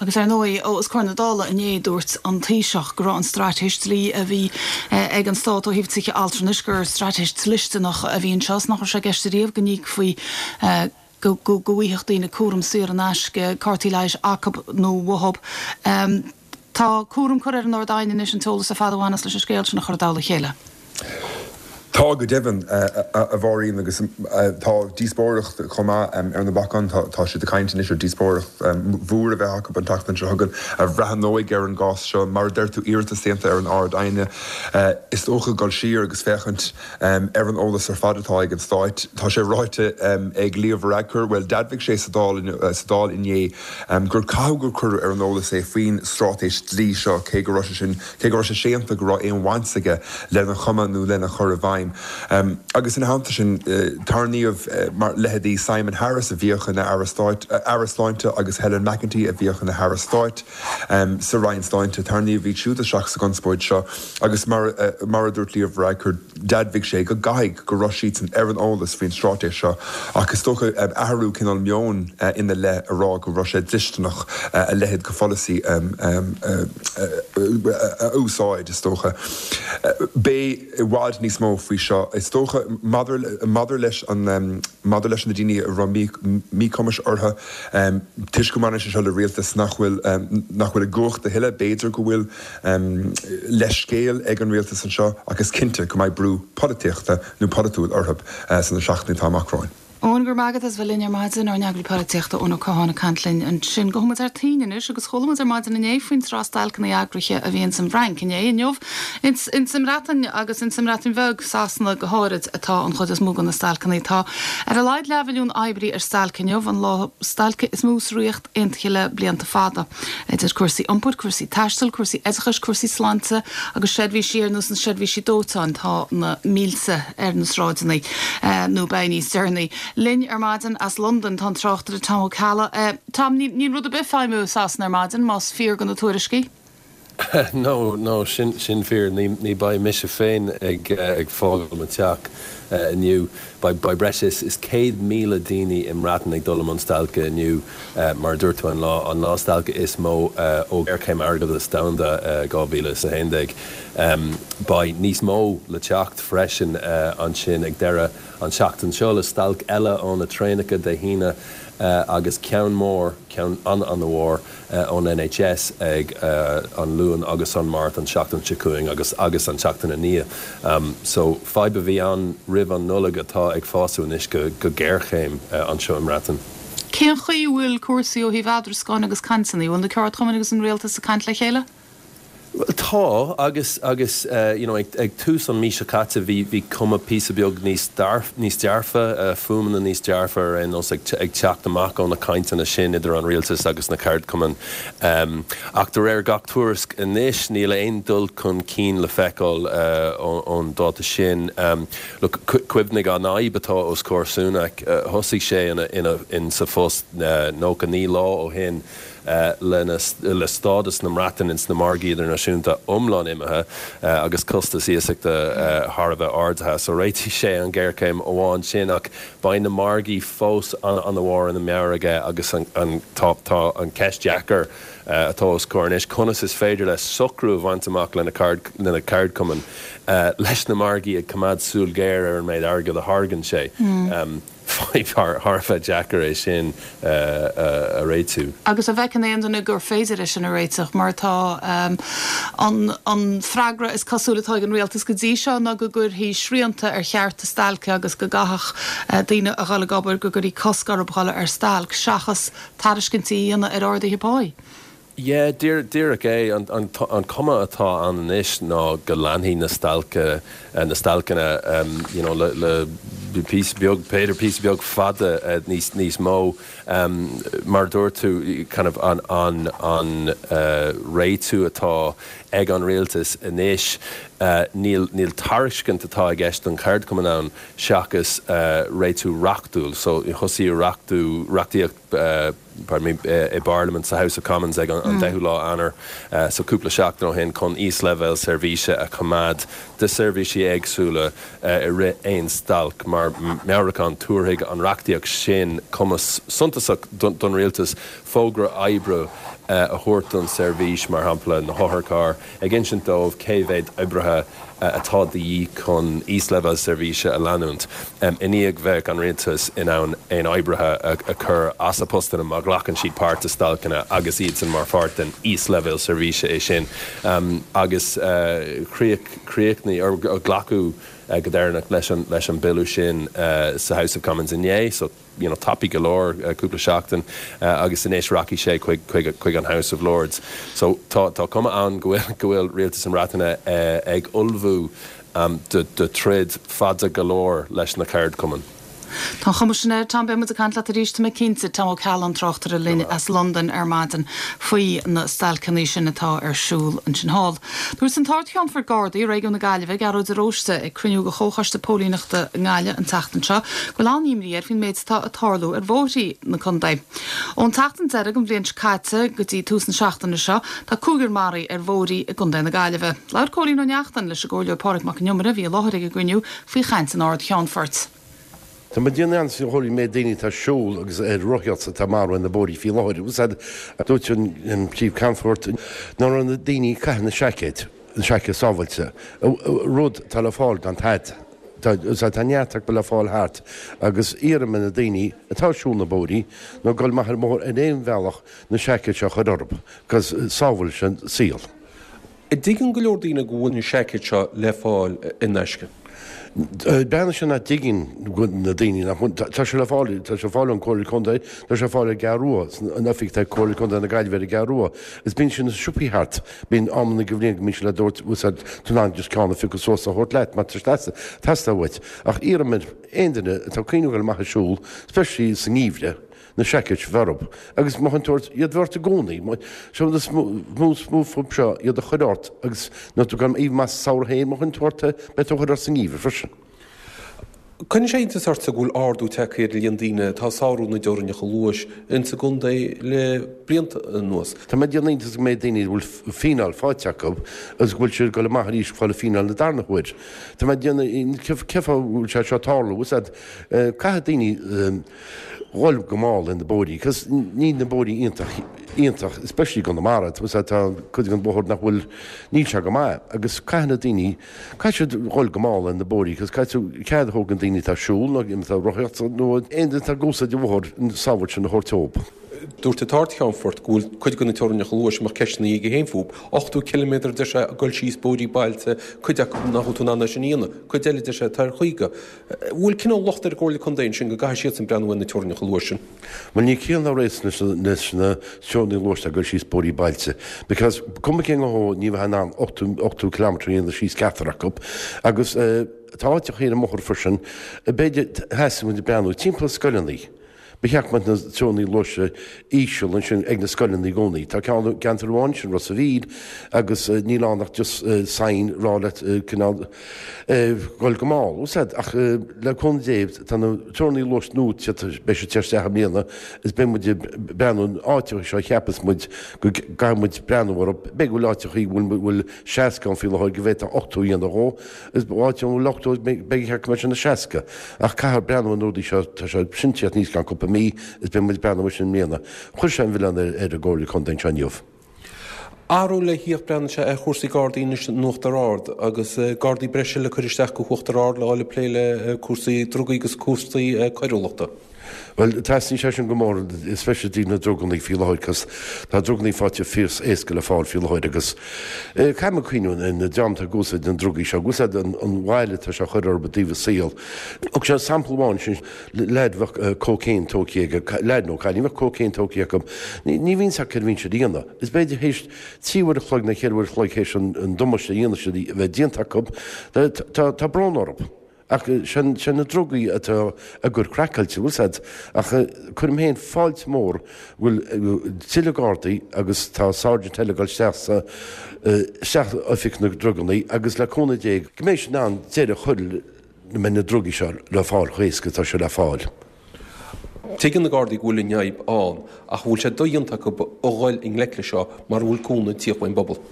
Agus ar ndóigh, os comhair na Dála inné, dúirt an Taoiseach go raibh an straitéis dlí a bhí ag an stát ó thaobh tithe altranais, gur straitéis dlisteanach a bhí anseo is nach raibh sé i gceist ariamh go n-íocfaí go bhfaigheadh daoine cúram saor in aisce, cártaí leighis acu nó uathu. Tá cúram curtha ar an Ard-Aighne anois an t-eolas ar fad a bhaineas leis an scéal sin a chur i dtoll a chéile. Tá go deimhin, a Mháirín, agus tá díospóireacht chomh maith ar na bacáin. Tá siad ag caint anois ar díospóireacht mhór a bheith acu an tseachtain seo chugainn a bhreathnóidh ar an gcás seo. Mar a deir tú, iarratas déanta ar an Ard-Aighne. Is dócha dul siar agus féachaint Ar an eolas ar fad atá ag an Stát, tá sé ráite ag Leo Varadkar, bhuel, d'admhaigh sé sa Dáil inné gur caitheadh gur cuireadh ar an eolas é faoin straitéis dlí seo, cé go raibh sé sin, cé go raibh sé séanta go raibh aon bhaint aige lena chumadh nó lena chur i bhfeidhm. Agus ina theannta sin, tarraingíodh mar leithéidí Simon Harris a bhíodh ina Aire Stáit, Aire Sláinte agus Helen McEntee a bhíodh ina hAire Stáit sa Roinn Sláinte, tarraingíodh iad siúd isteach sa gconspóid seo. Agus mar a dúirt Leo Varadkar, d'admhaigh sé go gcaithfidh go raibh siadsan ar an eolas faoin straitéis seo ach is dócha athrú cineál meoin ina leith a rá go raibh sé dlisteanach a leithéid de pholasaí a úsáid, is dócha. Beidh i bhfad níos mó faoi seo, is dócha, maidir leis an maidir leis na daoine a raibh míchumais orthu, toisc go mbaineann sé seo le rialtas nach bhfuil nach bhfuil i gcumhacht a thuilleadh, b'fhéidir go bhfuil leithscéal ag an rialtas anseo ach is cinnte go mbeidh brú polaitíochta nó polaitiúil orthu sna seachtainí atá amach romhainn. Eoin, go raibh maith agat as bheith linn ar maidin, ár n-eagraí polaitíochta Eoin Ó Catháin ag caint linn ansin. Gabhfaidh muid thar toinn anois agus chuala muid ar maidin inné faoin tsraith stailceanna eagraithe a bhí ins an bhFrainc inné. Inniu ins an mBreatain agus ins an mBreatain Bheag, Sasana go háirid, atá an chuid is mó de na stailceanna. Tá ar a laghad leathmhilliún oibrí ar stailc inniu, an lá stailce is mó sa Ríocht Aontaithe le blianta fada. Idir cúrsaí iompair, cúrsaí taistil, cúrsaí oideachais, cúrsaí sláinte agus seirbhísí ar nós na seirbhísí dóiteáin, tá na mílte ar na sráideanna, nó beidh níos deireanaí. Linn ar maidin as Londain tá an tráchtaire Tom Ó Ceallaigh. Tom, níl rud ar bith ag feidhmiú i Sasana ar maidin, más fíor do na tuairiscí. No, no, sin, sin fíor. Ní, ní beidh mise féin ag, ag fágáil mo teach inniu. Beidh, beidh breis is, is 100,000 daoine i mBreatain ag dul i mbun stailce inniu, mar a dúirt tú, an lá, an lá stailce is mó ó ghéarchéim airgeadais domhanda 2011. Beidh níos mó le teacht freisin ansin ag deireadh an tseachtain seo le stailc eile ó na traenacha Dé hAoine agus ceann mór, ceann an-an-mhór, ón NHS ag an Luan agus an Máirt an tseachtain seo chugainn agus agus an tseachtain ina ndiaidh. So fadhb a bhí ann roimh an Nollaig atá ag fású anois go go géarchéim anseo i mBreatain. Cén chaoi a bhfuil cúrsaí ó thaobh eadrascáin agus cainteanna? An bhfuil na ceardchumainn agus an rialtas ag caint le chéile? Bhuel tá, agus, agus you know ag, ag tús an mí seo caite bhí, bhí cuma píosa beag níos dearf, níos dearfa, fuaimeanna níos dearfa ar aon nós ag, ag teacht amach ó na cainteanna sin idir an rialtas agus na ceardchumainn. Ach de réir gach tuairisc anois níl aon dul chun cinn le feiceáil ón dáta sin. Look, cuimhnigh an fhadhb atá os comhair Sunak, thosaigh sé ina, ina, in sa phost 99 lá ó shin, le stádas na mBreataine ins na margaí idirnáisiúnta iomlán imithe agus costas iasachta thar a bheith ardaithe. So réitigh sé an ghéarchéim amháin sin ach beidh na margaí fós an-an-mhór ina mheabhair aige agus an tá tá an cheist dheacair atá os comhair anois, conas is féidir leis socrú a bhaint amach lena lena cheardchumainn leis na margaí ag coimeád súil ghéar ar an méid airgid a thairgeann sé. Fadhb thar a bheith deacair é sin a réitiú. Agus an bhfeiceann aon duine gur féidir é sin a réiteach, mar tá an freagra is cosúil atá ag an rialtas go dtí seo ná go gcuirfí srianta ar chearta stailce agus go gcaithfeadh daoine a dhul ag obair, go gcuirfí cosc orthu dhul ar stailc, seachas tairiscintí a dhéanamh ar arduithe páí. Yeah, díreach é. An cuma atá ann anois ná go leanfaidh na stailce, na stailceanna, you know, le píosa beag, b'fhéidir píosa beag fada níos, níos mó. Mar a dúirt tú, kind of an, an, an réitiú atá ag an rialtas anois, níl, níl tairiscint atá i gceist don cheardchumann ann seachas réitiú reachtúil. So, thosaigh reachtú, reachtaíocht, pardon me, i bParlaimint sa House of Commons ag an 10ú lá Eanáir, so cúpla seachtain ó shin, chun íosleibhéal seirbhíse a choimeád do seirbhísí éagsúla i rith aon stailc. Mar mheabhrúchán, tabharfaidh an reachtaíocht sin cumas suntasach don rialtas fógra oibre a thabhairt don seirbhís, mar shampla na hotharchairr, ag insint dóibh cé mhéad oibrithe atá de dhíth chun íosleibhéal seirbhíse a leanúint. I ndiaidh bheadh an rialtas in ann aon oibrithe a chur as a postanna má ghlacann siad páirt i stailceanna agus iadsan mar pháirt den íosleibhéal seirbhíse é sin. Agus chríochnaigh, or glacadh go deireanach leis an leis an bille sin sa House of Commons inné. So. you know, tapaidh go leor, cúpla seachtain, agus anois rachaidh sé chuig, chuig, chuig an House of Lords. So tá, tá cuma ann go bhfuil, go bhfuil Rialtas na Breataine ag ullmhú do, do troid fada go leor leis na ceardchumainn. Tá an chuma sin air, Tom. Beidh muid ag caint leat arís, tá mé cinnte. Tom Ó Ceallaigh, tráchtaire linn as Londain ar maidin faoi na stailceanna sin atá ar siúl ansin thall. Dúirt an tArd-Cheannfort Gardaí i Réigiún na Gaillimhe, Gearóid de Róiste, ag cruinniú de Chomhchoiste Póilíneachta i nGaillimh an tseachtain seo, go bhfuil an-imní air faoin méid atá ag tarlú ar bhóithrí na contae. Ón tseachtain deiridh den bhliain seo caite go dtí tús na seachtaine seo, tá cúigear maraithe ar bhóithrí i gContae na Gaillimhe. Labhair Cóilín Ó Neachtain leis an gComhairleoir Pádraig Mac Con Iomaire, a bhí i láthair ag an gcruinniú, faoi chaint an Ard-Cheannfoirt. Tá mé ag déanamh iontais a Chóilín an méid daoine atá ag siúl agus ar rothaíocht atá marbh ar na bóithrí faoi láthair. Úsáid, dúirt an Príomh-Cheannfort nach raibh na daoine ag caitheamh na seaicéid, na seaicéid sábháilte, rud atá le fáil gan tada. Tá, tá neart acu le fáil thart agus iarraim ar na daoine atá ag siúl na bóithrí nó ag dul amach ar an mbóthar ar aon bhealach na seaicéid seo a chur orthu, 'cause sábhálann sé an saol. An dtuigeann go leor daoine go bhfuil na seaicéid seo le fáil in aisce? Breathnaíonn sé nach dtuigeann na daoine nach bhfuil, tá sé le fáil, tá sé le fáil ón Comhairle Contae, tá sé le fáil ar an gCeathrú Rua, an oifig atá ag Comhairle Contae na Gaillimhe ar an gCeathrú Rua. Is bíonn sé na siopaí thart, bíonn amanna den bhliain go mbíonn sé le dtabhairt, úsáid, tú in ann just ceann a phiocadh suas a thabhairt leat má tá sé teastáil uait. Ach iarraim ar aon duine atá ag cuimhneamh dul amach ag siúl, especially sa ngeimhreadh, na seaicéid a bheith orthu agus má théann tú ort iad bheith ort i gcónaí. Seo an is mó fúm seo iad a chur ort agus nuair tú gan aoibh maith sa samhradh féin má théann tú ort beidh tú a chur ort sa ngeimhreadh freisin. Cuireann sé iontas ortsa go bhfuil ardú tagtha ar an líon daoine atá ag sárú na dteorainneacha luais insa gcontae le blianta anuas. Tá mé ag déanamh iontas an méid daoine a bhfuil fíneáil faighte acu agus go bhfuil siad ag dul amach arís ag fáil fíneáil na darna huair. Tá mé ag déanamh cén fáth a bhfuil sé seo ag tarlú? Is ea caithfidh daoine dhul go mall ar na bóithrí, cos níl na bóithrí iontach, iontach, especially i gConamara, tá tá cuid den bhóthar nach bhfuil, níl sé go maith agus caithfidh na daoine, caithfidh siad dhul go mall ar na bóithrí cos caithfidh tú cead a thabhairt don daoine atá ag siúl nó atá ag rothaíocht nó aon duine atá ag úsáid an bhóthair an sábháilt sin a thabhairt dóibh. Dúirt an tArd-Cheannfort go bhfuil cuid de na teorainneacha luais a mbeadh ceisteanna aige féin fúthu. 80 ciliméadar, deir sé, ag dul síos bóithrí bailte, cuid acu nach bhfuil tú in ann é sin a dhéanamh, cuid eile, deir sé, atá ar 50. Bhfuil cineál locht ar an gComhairle Contae ansin go gcaithfidh siadsan breathnú ar na teorainneacha luais sin? Bhuel níl ciall ná réasún leis na teorainneacha luais ag dul síos bóithrí bailte because cuma cén ghnó ní bheifeá in ann 80 kilometre a dhéanamh síos ceachtar acu agus tá áiteacha ar an mbóthar freisin b'fhéidir theastaigh muid ag breathnú timpeall scoileanna. Ba cheart go mbeadh na teorainneacha luaise íseal ansin ag na scoileanna i gcónaí. Tá ceann i gceantar amháin, sin Ros a' Mhíl, agus níl ann ach just sign rá leat cineál dhul go mall, bhfuil 's a'd. Ach le cúnamh Dé tá na teorainneacha luais nua beidh siad ag teacht isteach i mbliana is beidh muid ag breathnú an áiteacha seo a cheapas muid go gcaithfidh muid breathnú orthu. B'fhéidir go bhfuil áiteacha go bhfuil 60 ann faoi láthair go bhféadfá 80 a dhéanamh dhó. Is áit a bhfuil 80, beidh ceart go mbeidh sé ina 60. Ach caithfear breathnú ar na rudaí seo, tá sé sin ag tíocht aníos i gceann cúpla mí, is beidh muid ag breathnú air sin i mbliana. Chuir sé an mhilleán ar an gComhairle Contae anseo inniu. Athrú le thíocht breathnaíonn sé ar chúrsaí Gardaí anois in Uachtar Ard agus Gardaí breise le cur isteach go hUachtar Ard le dhul ag plé le cúrsaí drugaí agus cúrsaí coiriúlachta. Bhuel, teastaíonn sé sin go mór, especially i dtaobh na drugannaí faoi láthair, cos tá drugannaí faighte fíor éasca le fáil faoi láthair agus caithfidh muid cuimhniú ar an dream atá ag úsáid na drugaí seo, ag úsáid an bhail atá sé a chur orthu i dtaobh a saol. Thug sé sampla amháin sin, leaid bheadh cocaine tógtha aige, leaid nó cailín bheadh cocaine tógtha acu, ní bhíonn fhios acu céard a bhíonn siad a dhéanamh. Is b'fhéidir théis 3 uair a chloig nó 4 uair a chloig théis an damáiste a dhéanamh siad a bheith déanta acu, tá brón orthu. Ach sé na drugaí atá á gcur craiceáilte, bhfuil 's a'd. Ach cuirim féin fáilte mór go bhfuil tuilleadh Gardaí agus tá Sergeant eile ag dul isteach sa, isteach oifig na drugannaí agus le cúnamh Dé go mbeidh siad in ann deireadh a chur le, go mbeidh na drugaí seo le fáil chomh héasca atá sé le fáil. Tuigeann na Gardaí go bhfuil an fhadhb ann ach an bhfuil sé dodhéanta acu a dhul i ngleic leis seo mara bhfuil cúnamh ag tíocht ón bpobal.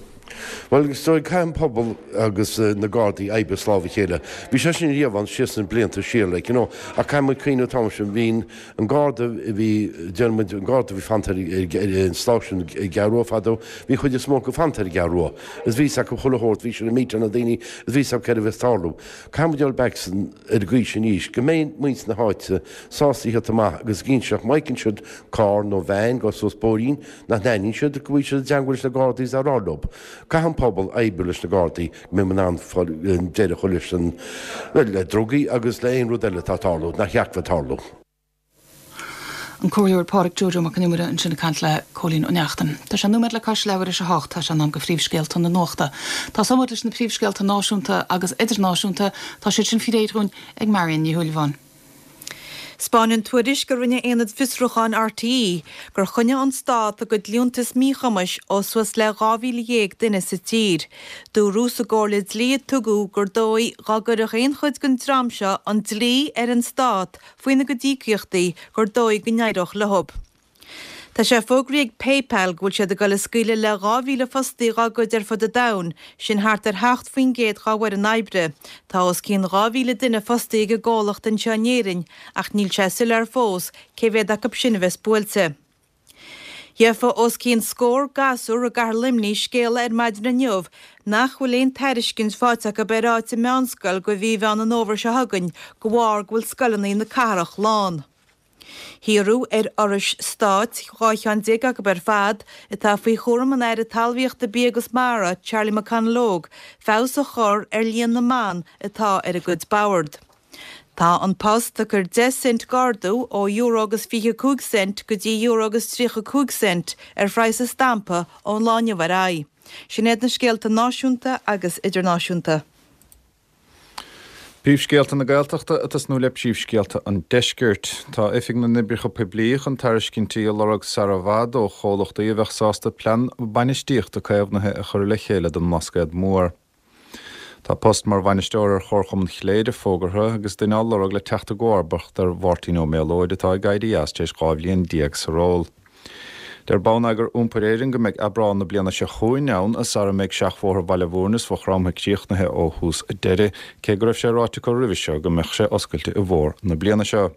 Bhuel, is dóigh, caithfidh an pobal agus na Gardaí oibriú as lámh a chéile. Bhí sé sin riamh ann síos na blianta siar, like, you know, ach caithfidh muid cuimhniú an t-am sin, bhí an Garda a bhí, déarfaidh muid, an Garda a bhí fanta ar an stáisiún i gCeathrú Rua fadó, bhí chuid is mó acu fanta ar an gCeathrú Rua. Is bhí 'fhios acu chuile shórt, bhí siad ag meetáil na daoine, is bhí 'fhios acu céard a bhí ag tarlú. Caithfidh muid dul back ar an gcaoi sin arís, go mbeidh muintir na háite sásta a thíocht amach agus ag inseacht má fheiceann siad carr nó veain ag dul suas bóithrín nach n-aithníonn siad, go bhfuil siad i dteangmháil leis na Gardaí is á rá leo. Caithfidh an pobal oibriú leis na Gardaí go mbeidh muid in ann deireadh a chur leis an, bhuel, le drugaí agus le aon rud eile atá ag tarlú nach cheart bheith ag tarlú. An Comhairleoir Pádraic Joe Joe Mac Con Iomaire ansin ag caint le Cóilín Ó Neachtain. Tá sé nóiméad le cois leathuair théis a hocht, tá sé in am do phríomhscéalta na nuachta. Tosóidh muid leis na príomhscéalta náisiúnta agus idirnáisiúnta, tá siad sin faoi réir dhúinn ag Marion Ní Shúilleabháin. 'Spáineann tuairisc a rinne Aonad Fiosrúcháin RTÉ gur choinnigh an Stát a gcuid liúntas míchumais ó suas le 12,000 duine sa tír. Dúradh sa gcomhairle dlí a tugadh gur dóigh dá gcuirfeadh aon chuid den dream seo an dlí ar an Stát faoina gcuid íocaíochtaí gur dóigh go n-éireodh leo. Tá sé fógraithe ag PayPal go bhfuil siad ag dul ag scaoileadh le 2,000 fostaí dhá gcuid ar fud an domhain, sin thart ar 7% dhá bhfoireann oibre. Tá os cionn 2,000 duine fostaithe ag an gcomhlacht anseo in Éirinn ach níl sé soiléir fós cé mhéad acu sin a bheas buailte. Gheofa os cionn scór gasúr i gcathair Luimnigh scéala ar maidin inniu nach bhfuil aon tairiscint faighte acu ar áit i meánscoil go mhí Mheán an Fhómhair seo chugainn de bharr go bhfuil scoileanna na cathrach lán. Hiarradh ar fhorais stáit, 12 cheann acu ar fad, atá faoi chúram an Aire Talmhaíochta, Bia agus Mara, Charlie McConalogue, feabhas a chur ar líon na mban atá ar a gcuid bord. Tá An Post ag cur 10 cent d'ardú ó euro agus 25 cent go dtí euro agus 35 cent ar phraghas an stampa ón lá inniu ar aghaidh. Sin iad na scéalta náisiúnta agus idirnáisiúnta. Príomhscéalta na Gaeltachta ag tosnú le príomhscéalta an Deiscirt. Tá Oifig na nOibreacha Poiblí chun tairiscintí a lorg sara i bhfad ó chomhlachtaí a bheadh sásta plean bainistíochta caomhnaithe a chur le chéile don mBlascaod Mór. Tá post mar bhainisteoir ar Chomharchumann Chléire fógartha agus duine á lorg le teacht i gcomharbacht ar Mháirtín Ó Méalóid atá ag éirí as tar éis 12 bhliain sa ról. Deir Bonneagar Iompair Éireann go mbeidh Aibreán na bliana seo chugainn ann sara mbeidh seachbhóthar Bhaile Bhúirne is Mhaigh Chromtha críochnaithe ó thús deireadh, cé go raibh sé ráite acu roimhe seo go mbeadh sé oscailte i bhfómhar na bliana seo.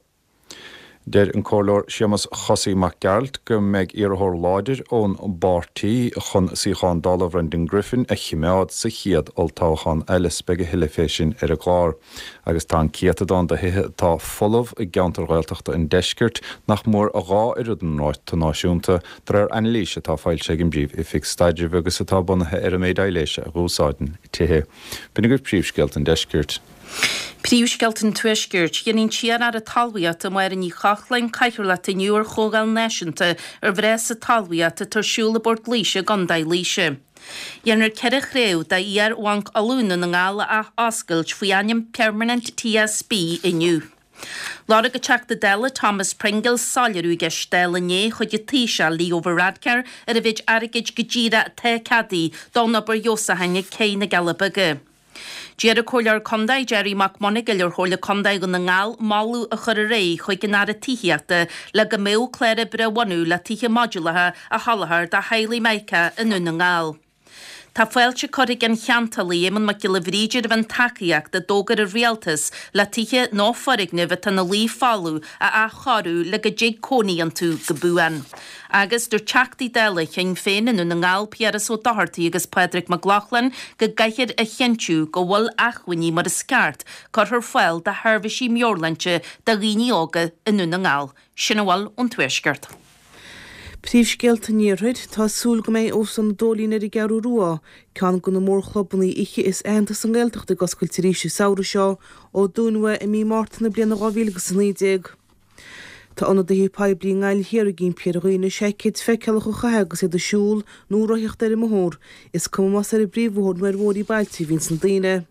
Deir an Comhairleoir Séamus Chosaí Mac Gearailt go mbeidh iarrthóir láidir ón bpáirtí chun suíochán Dála Bhrendan Griffin a chimeád sa chéad olltoghchán eile. Beidh a thuilleadh fé sin ar an gclár. Agus tá an céatadán de thithe atá folamh i gceantair Ghaeltachta an deiscirt nach mór a dhá oiread an ráta náisiúnta, de réir anailíse atá foilsithe ag an bPríomh-Oifig Staidrimh agus atá bunaithe ar an méid aibhléise a dh'úsáideann tithe. B'in agaibh príomhscéalta an deiscirt. Príomhscéalta an Tuaiscirt. Déanfaidh an t-iar-aire talmhaíochta, Máire Ní Chochláin, cathaoirleacht inniu ar Chomhdháil Náisiúnta ar Bhreis sa Talmhaíocht atá ar siúl i bPort Laoise i gContae Laoise. Déanfar 4 chraobh d'iar-Bhanc Uladh i nDún na nGall a ath-oscailt faoi ainm Permanent TSB inniu. Lorg an Teachta Dála Thomas Pringle soiléiriú i gceist Dála inné chuig an Taoiseach Leo Varadkar ar an mhéid airgid go díreach atá ceadaithe don obair fheabhsúcháin ag Cé na gCealla Beaga. D'iarr an Comhairleoir Contae Gerry Mac Monagail ar Chomhairle Contae Dhún na nGall moladh a chur ar aghaidh chuig an Aire Tithíochta le go mbeadh clár oibre a bhunú le tithe modúlacha a sholáthar do theaghlaigh imirceach i nDún na nGall. Tá fáilte curtha ag an cheantálaí Éamonn Mac Giolla Bhríde roimh an tacaíocht a d'fhógair an Rialtas le tithe nó foirgnimh atá ina luí folamh a athchóiriú le go dtig cónaí iontu go buan. Agus dúirt Teachtaí Dála Shinn Féin i nDún na nGall, Piaras Ó Dochartaigh agus Pádraig Mac Lochlainn go gcaithfear a chinntiú go bhfuil acmhainní mar is ceart curtha ar fáil do sheirbhísí meabhairshláinte do dhaoine óga i nDún na nGall. Sin a bhfuil ón Tuaisceart. Príomhscéalta an Iarthair, Tá súil go mbeidh Óstán an Dóilín ar an gCeathrú Rua, ceann de na mórchlubanna oíche is aitheanta sa nGaeltacht ag oscailt arís an samhradh seo, ó dúnadh é i mí Márta na bliana 2019. Tá ionadaithe poiblí i nGaillimh Thiar ag impí ar dhaoine seaicéid feiceálach a chaitheamh agus iad ag siúl nó ag rothaíocht ar an mbóthar, is cuma más ar an bpríomhbhóthar nó ar bhóithrí bailte a bhíonns na daoine.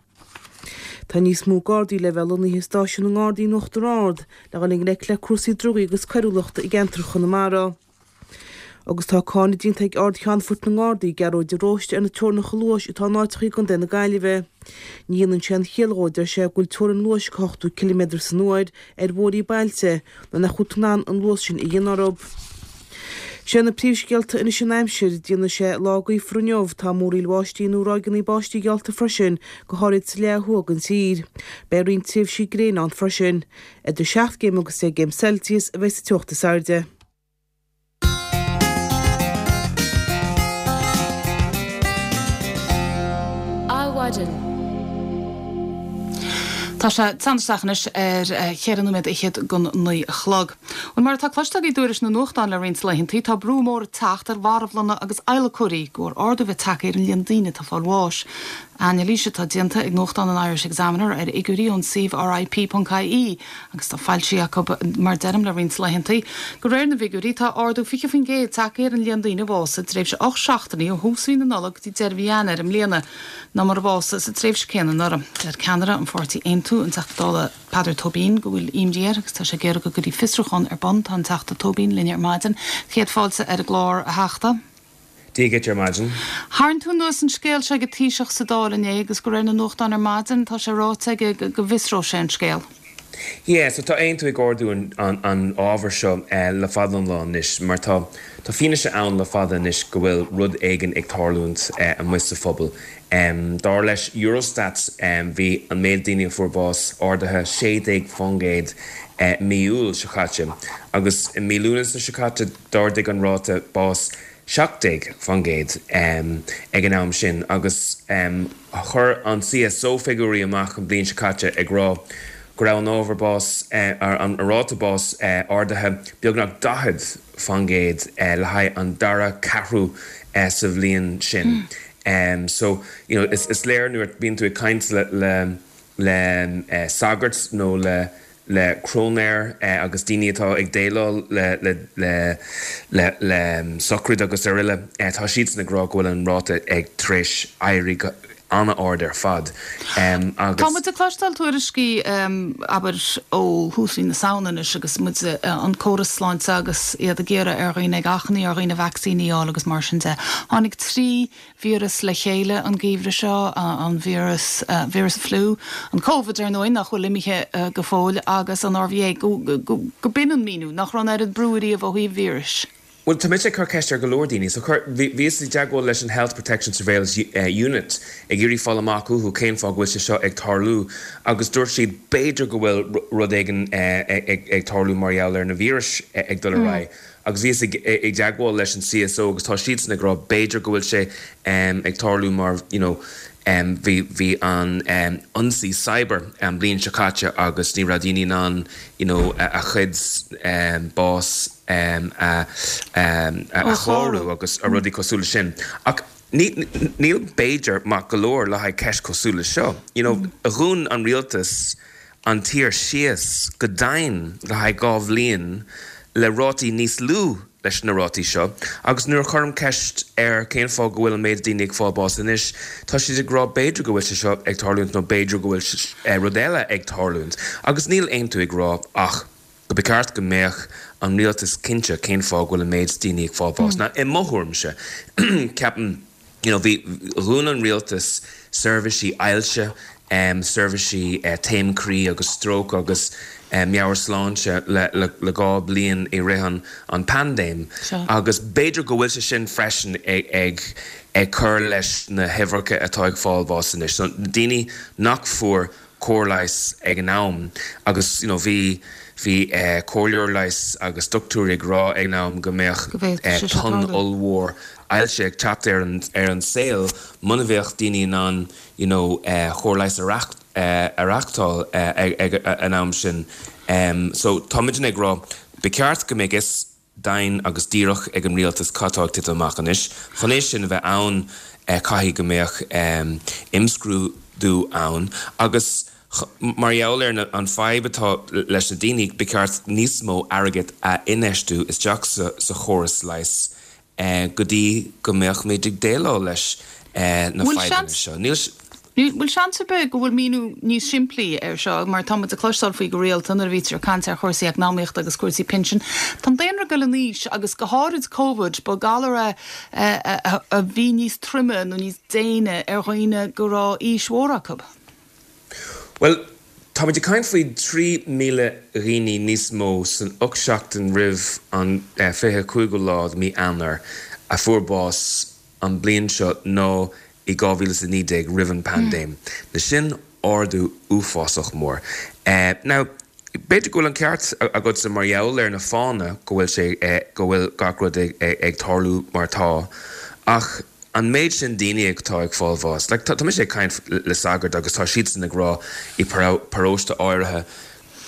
Tá níos mó Gardaí le bheith lonnaithe i stáisiún na nGardaí in Uachtar Ard le dhul i ngleic le cúrsaí drugaí agus coiriúlachta i gceantar Chonamara. Agus tá cáineadh déanta ag Ard-Cheannfort na nGardaí, Gearóid de Róiste ar na teorainneacha luais atá in áiteacha i gContae na Gaillimhe. Ní dhéanann sé aon chiall dhó, a deir sé, go bhfuil teorainn luais go 80 ciliméadar san uair ar bhóithrí bailte nuair nach bhfuil tú in ann an luas sin a dhéanamh orthu. Sé na príomhscéalta anois an aimsir, déanfaidh sé lá gaofar inniu, tá múraíl bháistí nó ráigeanna báistí geallta freisin, go háirid sa leath thuaidh den tír. Beidh roinnt tréimhsí gréine ann freisin. Idir 7 gcéim agus 10 gcéim Celsius a bheidh sa teocht is airde. Adhmhaidin. Tá sé ag teannadh isteach anois ar cheithre nóiméad fhichead don 9 a chlog. Bhuel, mar atá cloiste agaibh i dtuairisc na nuachtán le roinnt laethantaí, tá brú mór ag teacht ar mharbhlanna agus adhlacóirí de bharr ardú bheith tagtha ar an líon daoine atá ag fáil bháis. Anailís atá déanta ag nuachtán an Irish Examiner ar fhigiúirí ón suíomh RIP.ie agus tá foilsithe acu, mar deirim, le roinnt laethantaí. De réir na bhfigiúirí, tá ardú 20% tagtha ar an líon daoine a bhásaigh i dtréimhse 8 seachtainí ó thús mhí na Nollag go dtí deireadh mhí Eanáir i mbliana ná mar a bhásaigh sa tréimhse céanna anuraidh. Deir ceannaire an pháirtí Aontú, an Teachta Dála Peadar Tóibín, go bhfuil imní air agus tá sé ag iarraidh go gcuirfí fiosrúchán ar bun. Tá an Teachta Tóibín linn ar maidin. Céad fáilte ar an gclár, a Theachta. Dia dhuit ar maidin. Tharraing tú anuas an scéal seo ag an Taoiseach sa Dáil inné agus de réir na nuachtán ar maidin tá sé ráite aige go bhfiosróidh sé an scéal. Yeah, so tá Aontú ag ardú an an ábhar seo le fada an lá anois mar tá tá fianaise ann le fada anois go bhfuil rud éigin ag tarlúint amuigh sa phobal. Dar leis Eurostat bhí an méid daoine a fuair bás ardaithe 16% mí Iúil seo caite agus i mí Lúnasa seo caite d'ardaigh an ráta bás 17% ag an am sin agus chuir an CSO figiúirí amach an bhliain seo caite ag rá go raibh an ábhar bás, an ráta bás ardaithe beagnach 40% le haghaidh an dara ceathrú sa bhliain sin. So, you know, is léir nuair a bhíonn tú ag caint le le sagairt nó le le cróinéir agus daoine atá ag déileáil le le sochraid agus araile, tá siadsan ag rá go bhfuil an ráta ag tar éis éirí go an-ard ar fad agus. Tá muid ag cloisteáil tuairiscí, abair, ó thús mhí na Samhna anois agus muid, an córas sláinte agus iad ag iarraidh ar dhaoine, ag achainí ar dhaoine vacsaíní a fháil agus mar sin de. Tháinig 3 víreas le chéile an geimhreadh seo, an víreas, víreas an fliú, an Covid ar ndóigh, nach bhfuil imithe go fóill, agus an RVA, go, go, go b'in an míniú, nach raibh an oiread brú ariamh ó thaobh víris. Bhuel, tá mise ag cur ceist ar go leor daoine. So chuir, bhí, bhíos i dteagmháil leis an Health Protection Surveillance Unit ag iarraidh fáil amach uathu cén fáth go bhfuil sé seo ag tarlú agus dúirt siad b'fhéidir go bhfuil rud éigin ag, ag tarlú mar gheall ar na víris ag dul ar aghaidh. Agus bhíos i dteagmháil leis an CSO agus tá siadsan ag rá b'fhéidir go bhfuil sé ag tarlú mar you know bhí bhí an ionsaí cyber an bhliain seo caite agus ní raibh daoine in ann you know a chuid bás a a chlárú agus rudaí cosúil leis sin. Ach ní níl b'fhéidir maith go leor le haghaidh ceist cosúil leis seo. You know dhún an rialtas an tír síos go dian le haghaidh 2 bhliain le rátaí níos lú leis na rátaí seo agus nuair a chuirim ceist ar cén fáth go bhfuil an méid daoine ag fáil bás anois tá siad ag rá b'fhéidir go bhfuil sé seo ag tarlúint nó b'fhéidir go bhfuil rud eile ag tarlúint agus níl Aontú ag rá ach go ba cheart go mbeadh an rialtas cinnte cén fáth go bhfuil an méid daoine ag fáil bás. Now i mo thuairimse ceapaim you know bhí dhún an rialtas seirbhísí ailse. seirbhísí taom croí agus stróc agus meabhairshláinte le 2 bliain i rith an paindéim agus b'fhéidir go bhfuil sé sin freisin ag cur leis na huimhreacha atá ag fáil bháis anois. So na daoine nach fuair cóir leighis ag an am agus you know bhí bhí comhairleoir leighis agus dochtúirí ag rá ag an am go mbeadh tonn ollmhór ailse ag teacht ar an ar an saol muna bheadh daoine in ann you know cóir leighis a a reachtáil ag an am sin. So tá muidne ag rá ba cheart go mbeadh fhios deimhin agus díreach ag an rialtas cad tá ag titim amach anois. Chun é sin a bheith ann caithfidh go mbeadh imscrúdú ann agus mar gheall ar an fadhb atá leis na daoine ba cheart níos mó airgid a infheistiú isteach sa chóras leighis go dtí go mbeadh muid ag déileáil leis na fadhbanna seo. Níl. Bhfuil seans ar bith go bhfuil míniú níos simplí air seo, mar tá muid ag cloisteáil faoi go rialta nuair a bhítear ag caint ar chúrsaí eacnamaíochta agus cúrsaí pinsin. Tá an daonra ag dul in aois agus go háirid Covid, ba galar é a bhí níos troime nó níos déine ar dhaoine go raibh aois mhór acu. Bhuel, táimid ag caint faoi 3,000 dhaoine níos mó san 8 seachtain roimh an 25ú lá de mí Eanáir a fuair bás an bliain seo ná i 2019 roimh an paindéim. Now sin ardú uafásach mór. Now, b'fhéidir go bhfuil an ceart agatsa mar gheall ar na fáthanna go bhfuil sé, go bhfuil gach rud ag tarlú mar atá, ach an méid sin daoine atá ag fáil bháis, like tá mise ag caint le sagairt agus tá siadsan ag rá i paróiste áirithe,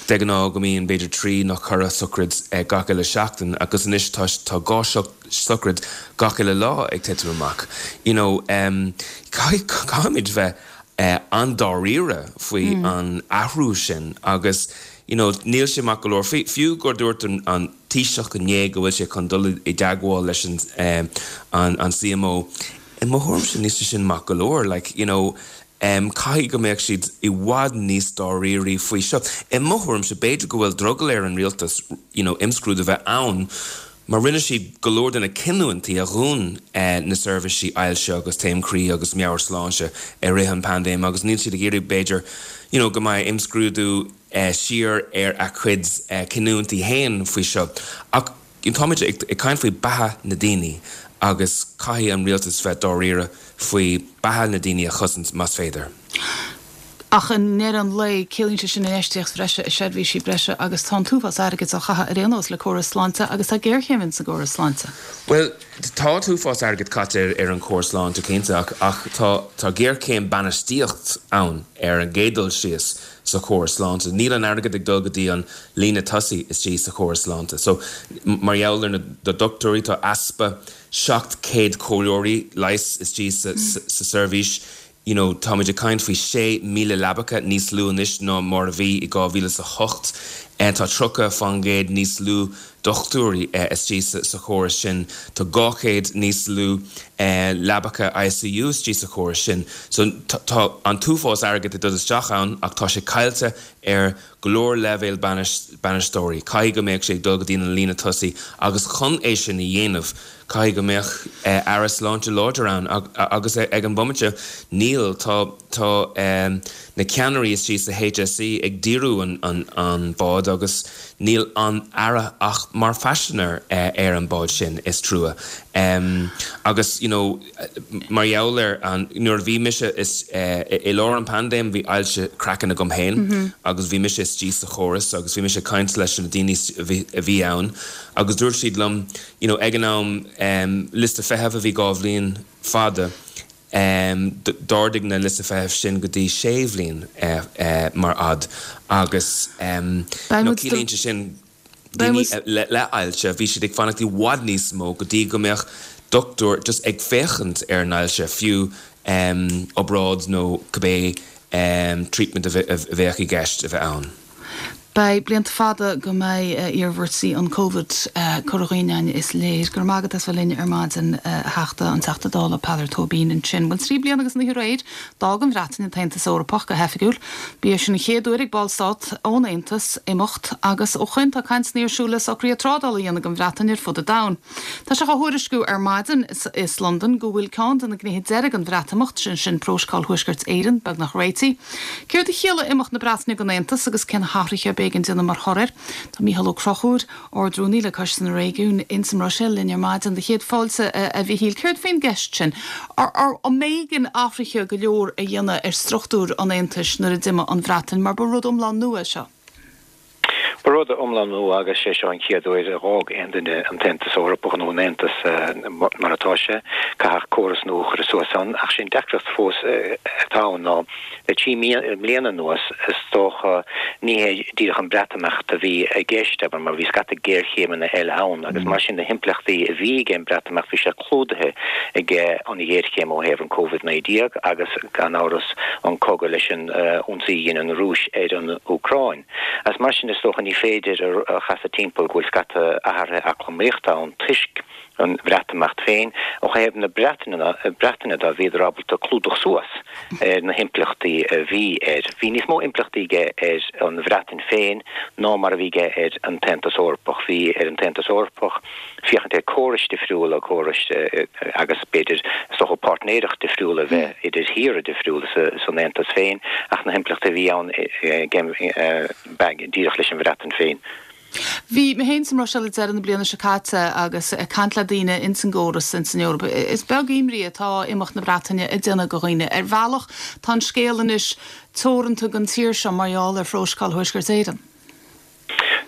De ghnáth go mbíonn b'fhéidir 3 nó 4 sochraid gach uile seachtain agus anois tá tá 2 sochraid gach uile lá ag titim amach. You know caithfidh caithfimid bheith an-dáiríre faoi an athrú sin agus you know níl sé maith go leor. Fiú gur dúirt an an Taoiseach inné go bhfuil sé chun dul i dteagmháil leis an an CMO, i mo thuairimse níl sé sin maith go leor. Like you know Caithfidh go mbeadh siad i bhfad níos dáirírí faoi seo. I mo thuairimse, b'fhéidir go bhfuil drogall ar an rialtas you know imscrúdú a bheith ann mar rinne siad go leor de na cinniúintí a dhún na seirbhísí ailse agus taom croí agus meabhairshláinte i rith an paindéim agus níl siad ag iarraidh b'fhéidir you know go mbeidh imscrúdú siar ar a gcuid cinniúintí féin faoi seo. Ach Táimid ag caint faoi beatha na daoine agus caithfidh an rialtas bheith dáiríre faoi beatha na daoine a chosaint más féidir. Ach i ndeireadh an lae, ciallaíonn sé sin infheistíocht bhreise i seirbhísí breise agus tá an t-uafás airgid á chaitheamh ar aon nós le córas sláinte agus tá géarchéim ins an gcóras sláinte. Bhuel, tá an t-uafás airgid caite ar an chóras sláinte cinnte ach ach tá tá géarchéim bainistíocht ann ar an gcéad dul síos. sa chóras sláinte. Níl an airgead ag dul go dtí an líne tosaigh istigh sa chóras sláinte. So, mar gheall ar na dochtúirí, tá easpa 700 comhairleoirí leighis istigh sa seirbhís. You know, táimid ag caint faoi 6,000 leabacha níos lú anois ná mar a bhí i 2008. Tá 30% níos lú dochtúirí istigh sa chóras sin. Tá 200 níos lú leabacha ICU istigh sa chóras sin. So tá an t-uafás airgid ag dul isteach ann ach tá sé caillte ar go leor leibhéal bainisteoirí. Caithfidh go mbeadh sé ag dul go dtí an líne tosaigh agus chun é sin a dhéanamh caithfidh go mbeadh Aire Sláinte láidir ann agus ag an bhomaite níl. Tá tá na ceannairí istigh sa HSE ag díriú an bád agus Níl an Aire ach mar phaisinéir ar an bád sin, is trua. Agus you know mar gheall ar an, nuair a bhí mise is, i lár an paindéim bhí ailse craicinn agam féin agus bhí mise istigh sa chóras agus bhí mise ag caint leis na daoine a bhí ann agus dúirt siad liom you know ag an am liosta feithimh a bhí 2 bhliain fada, D'ardaigh na liosta feithimh sin go dtí sé bhliain mar fhad agus ciallaíonn sé sin daoine le ailse, bhí siad ag fanacht i bhfad níos mó go dtí go mbeadh dochtúir just ag féachaint ar an ailse, fiú obráid nó cibé treatment a bheadh i gceist a bheith ann. Beidh blianta fada go mbeidh iarmhairtí an Covid curtha dhínn againn is léir. Go raibh maith agat as bheith linn ar maidin, a Theachta, an Teachta Dála Peadar Tóibín ansin. Bhuel, 3 bliana agus an oíche aréir, d'fhág an Bhreatain an tAontas Eorpach go hoifigiúil. Ba é sin an chéad uair ag ballstát ón Aontas imeacht agus ó shoin tá cainteanna ar siúl le socruithe trádála a dhéanamh don Bhreatain ar fud an domhain. Tá sé á thuairisciú ar maidin as Londain go bhfuil ceann de na gnéithe deiridh den Bhreatimeacht, sin sin Prótocál Thuaisceart Éireann, beagnach réitithe. Céard a chiallaigh imeacht na Breataine den Aontas agus cé na hathruithe a b'éigean déanamh mar thoradh air? Tá Mícheál Ó Conchúir, Ard-Rúnaí le Coiste na Réigiún ins an mBruiséil linn ar maidin. Do chéad fáilte, a Mhichíl. Céard faoin gceist sin? An mb'éigean athruithe go leor a dhéanamh ar struchtúr an Aontais nuair a d'imigh an Bhreatain mar ba rud iomlán nua é seo? Ba rud iomlán nua agus sé seo an chéad uair a dh'fhág aon duine an tAontas Eorpach nó an Aontas mar atá sé. Caithfeadh córas nua a chur suas ann. Ach sé an deacracht fós atá ann ná le 3 mbliana anuas is dócha ní hé díreach an Breatimeacht a bhí i gceist, abair, mar bhí scata géarchéimeanna eile ann agus mar sin na himpleachtaí a bhí ag an Breatimeacht bhí sé clúdaithe ag an ghéarchéim ó thaobh an Covid-19 agus gan amhras an cogadh leis an ionsaí a dhein an Rúis ar an Úcráin. Agus mar sin is dócha ní féidir a chasadh timpeall go bhfuil scata athruithe eacnamaíochta ann toisc an Bhreatimeacht féin. Ó thaobh na Breataine de bhíodar ábalta clúdach suas ar na himpleachtaí a bhí air. Bhí níos mó impleachtaí aige ar an Bhreatain féin ná mar a bhí aige ar an tAontas Eorpach. Bhí ar an tAontas Eorpach féachaint ar córais difriúla, córais agus b'fhéidir is dócha páirtnéireacht difriúil a bheith idir thíortha difriúla san Aontas féin ach na himpleachtaí a bhí ann díreach leis an Bhreatain féin. Bhí mé féin sa mBruiséil ag deireadh na bliana seo caite agus ag caint le daoine ins an gcóras ins an Eoraip. Is beag imní atá imeacht na Breataine ag déanamh go dhaoine. Ar bhealach tá an scéal anois teoranta don tír seo mar gheall ar Phróiseacál Thuaisceart Éireann.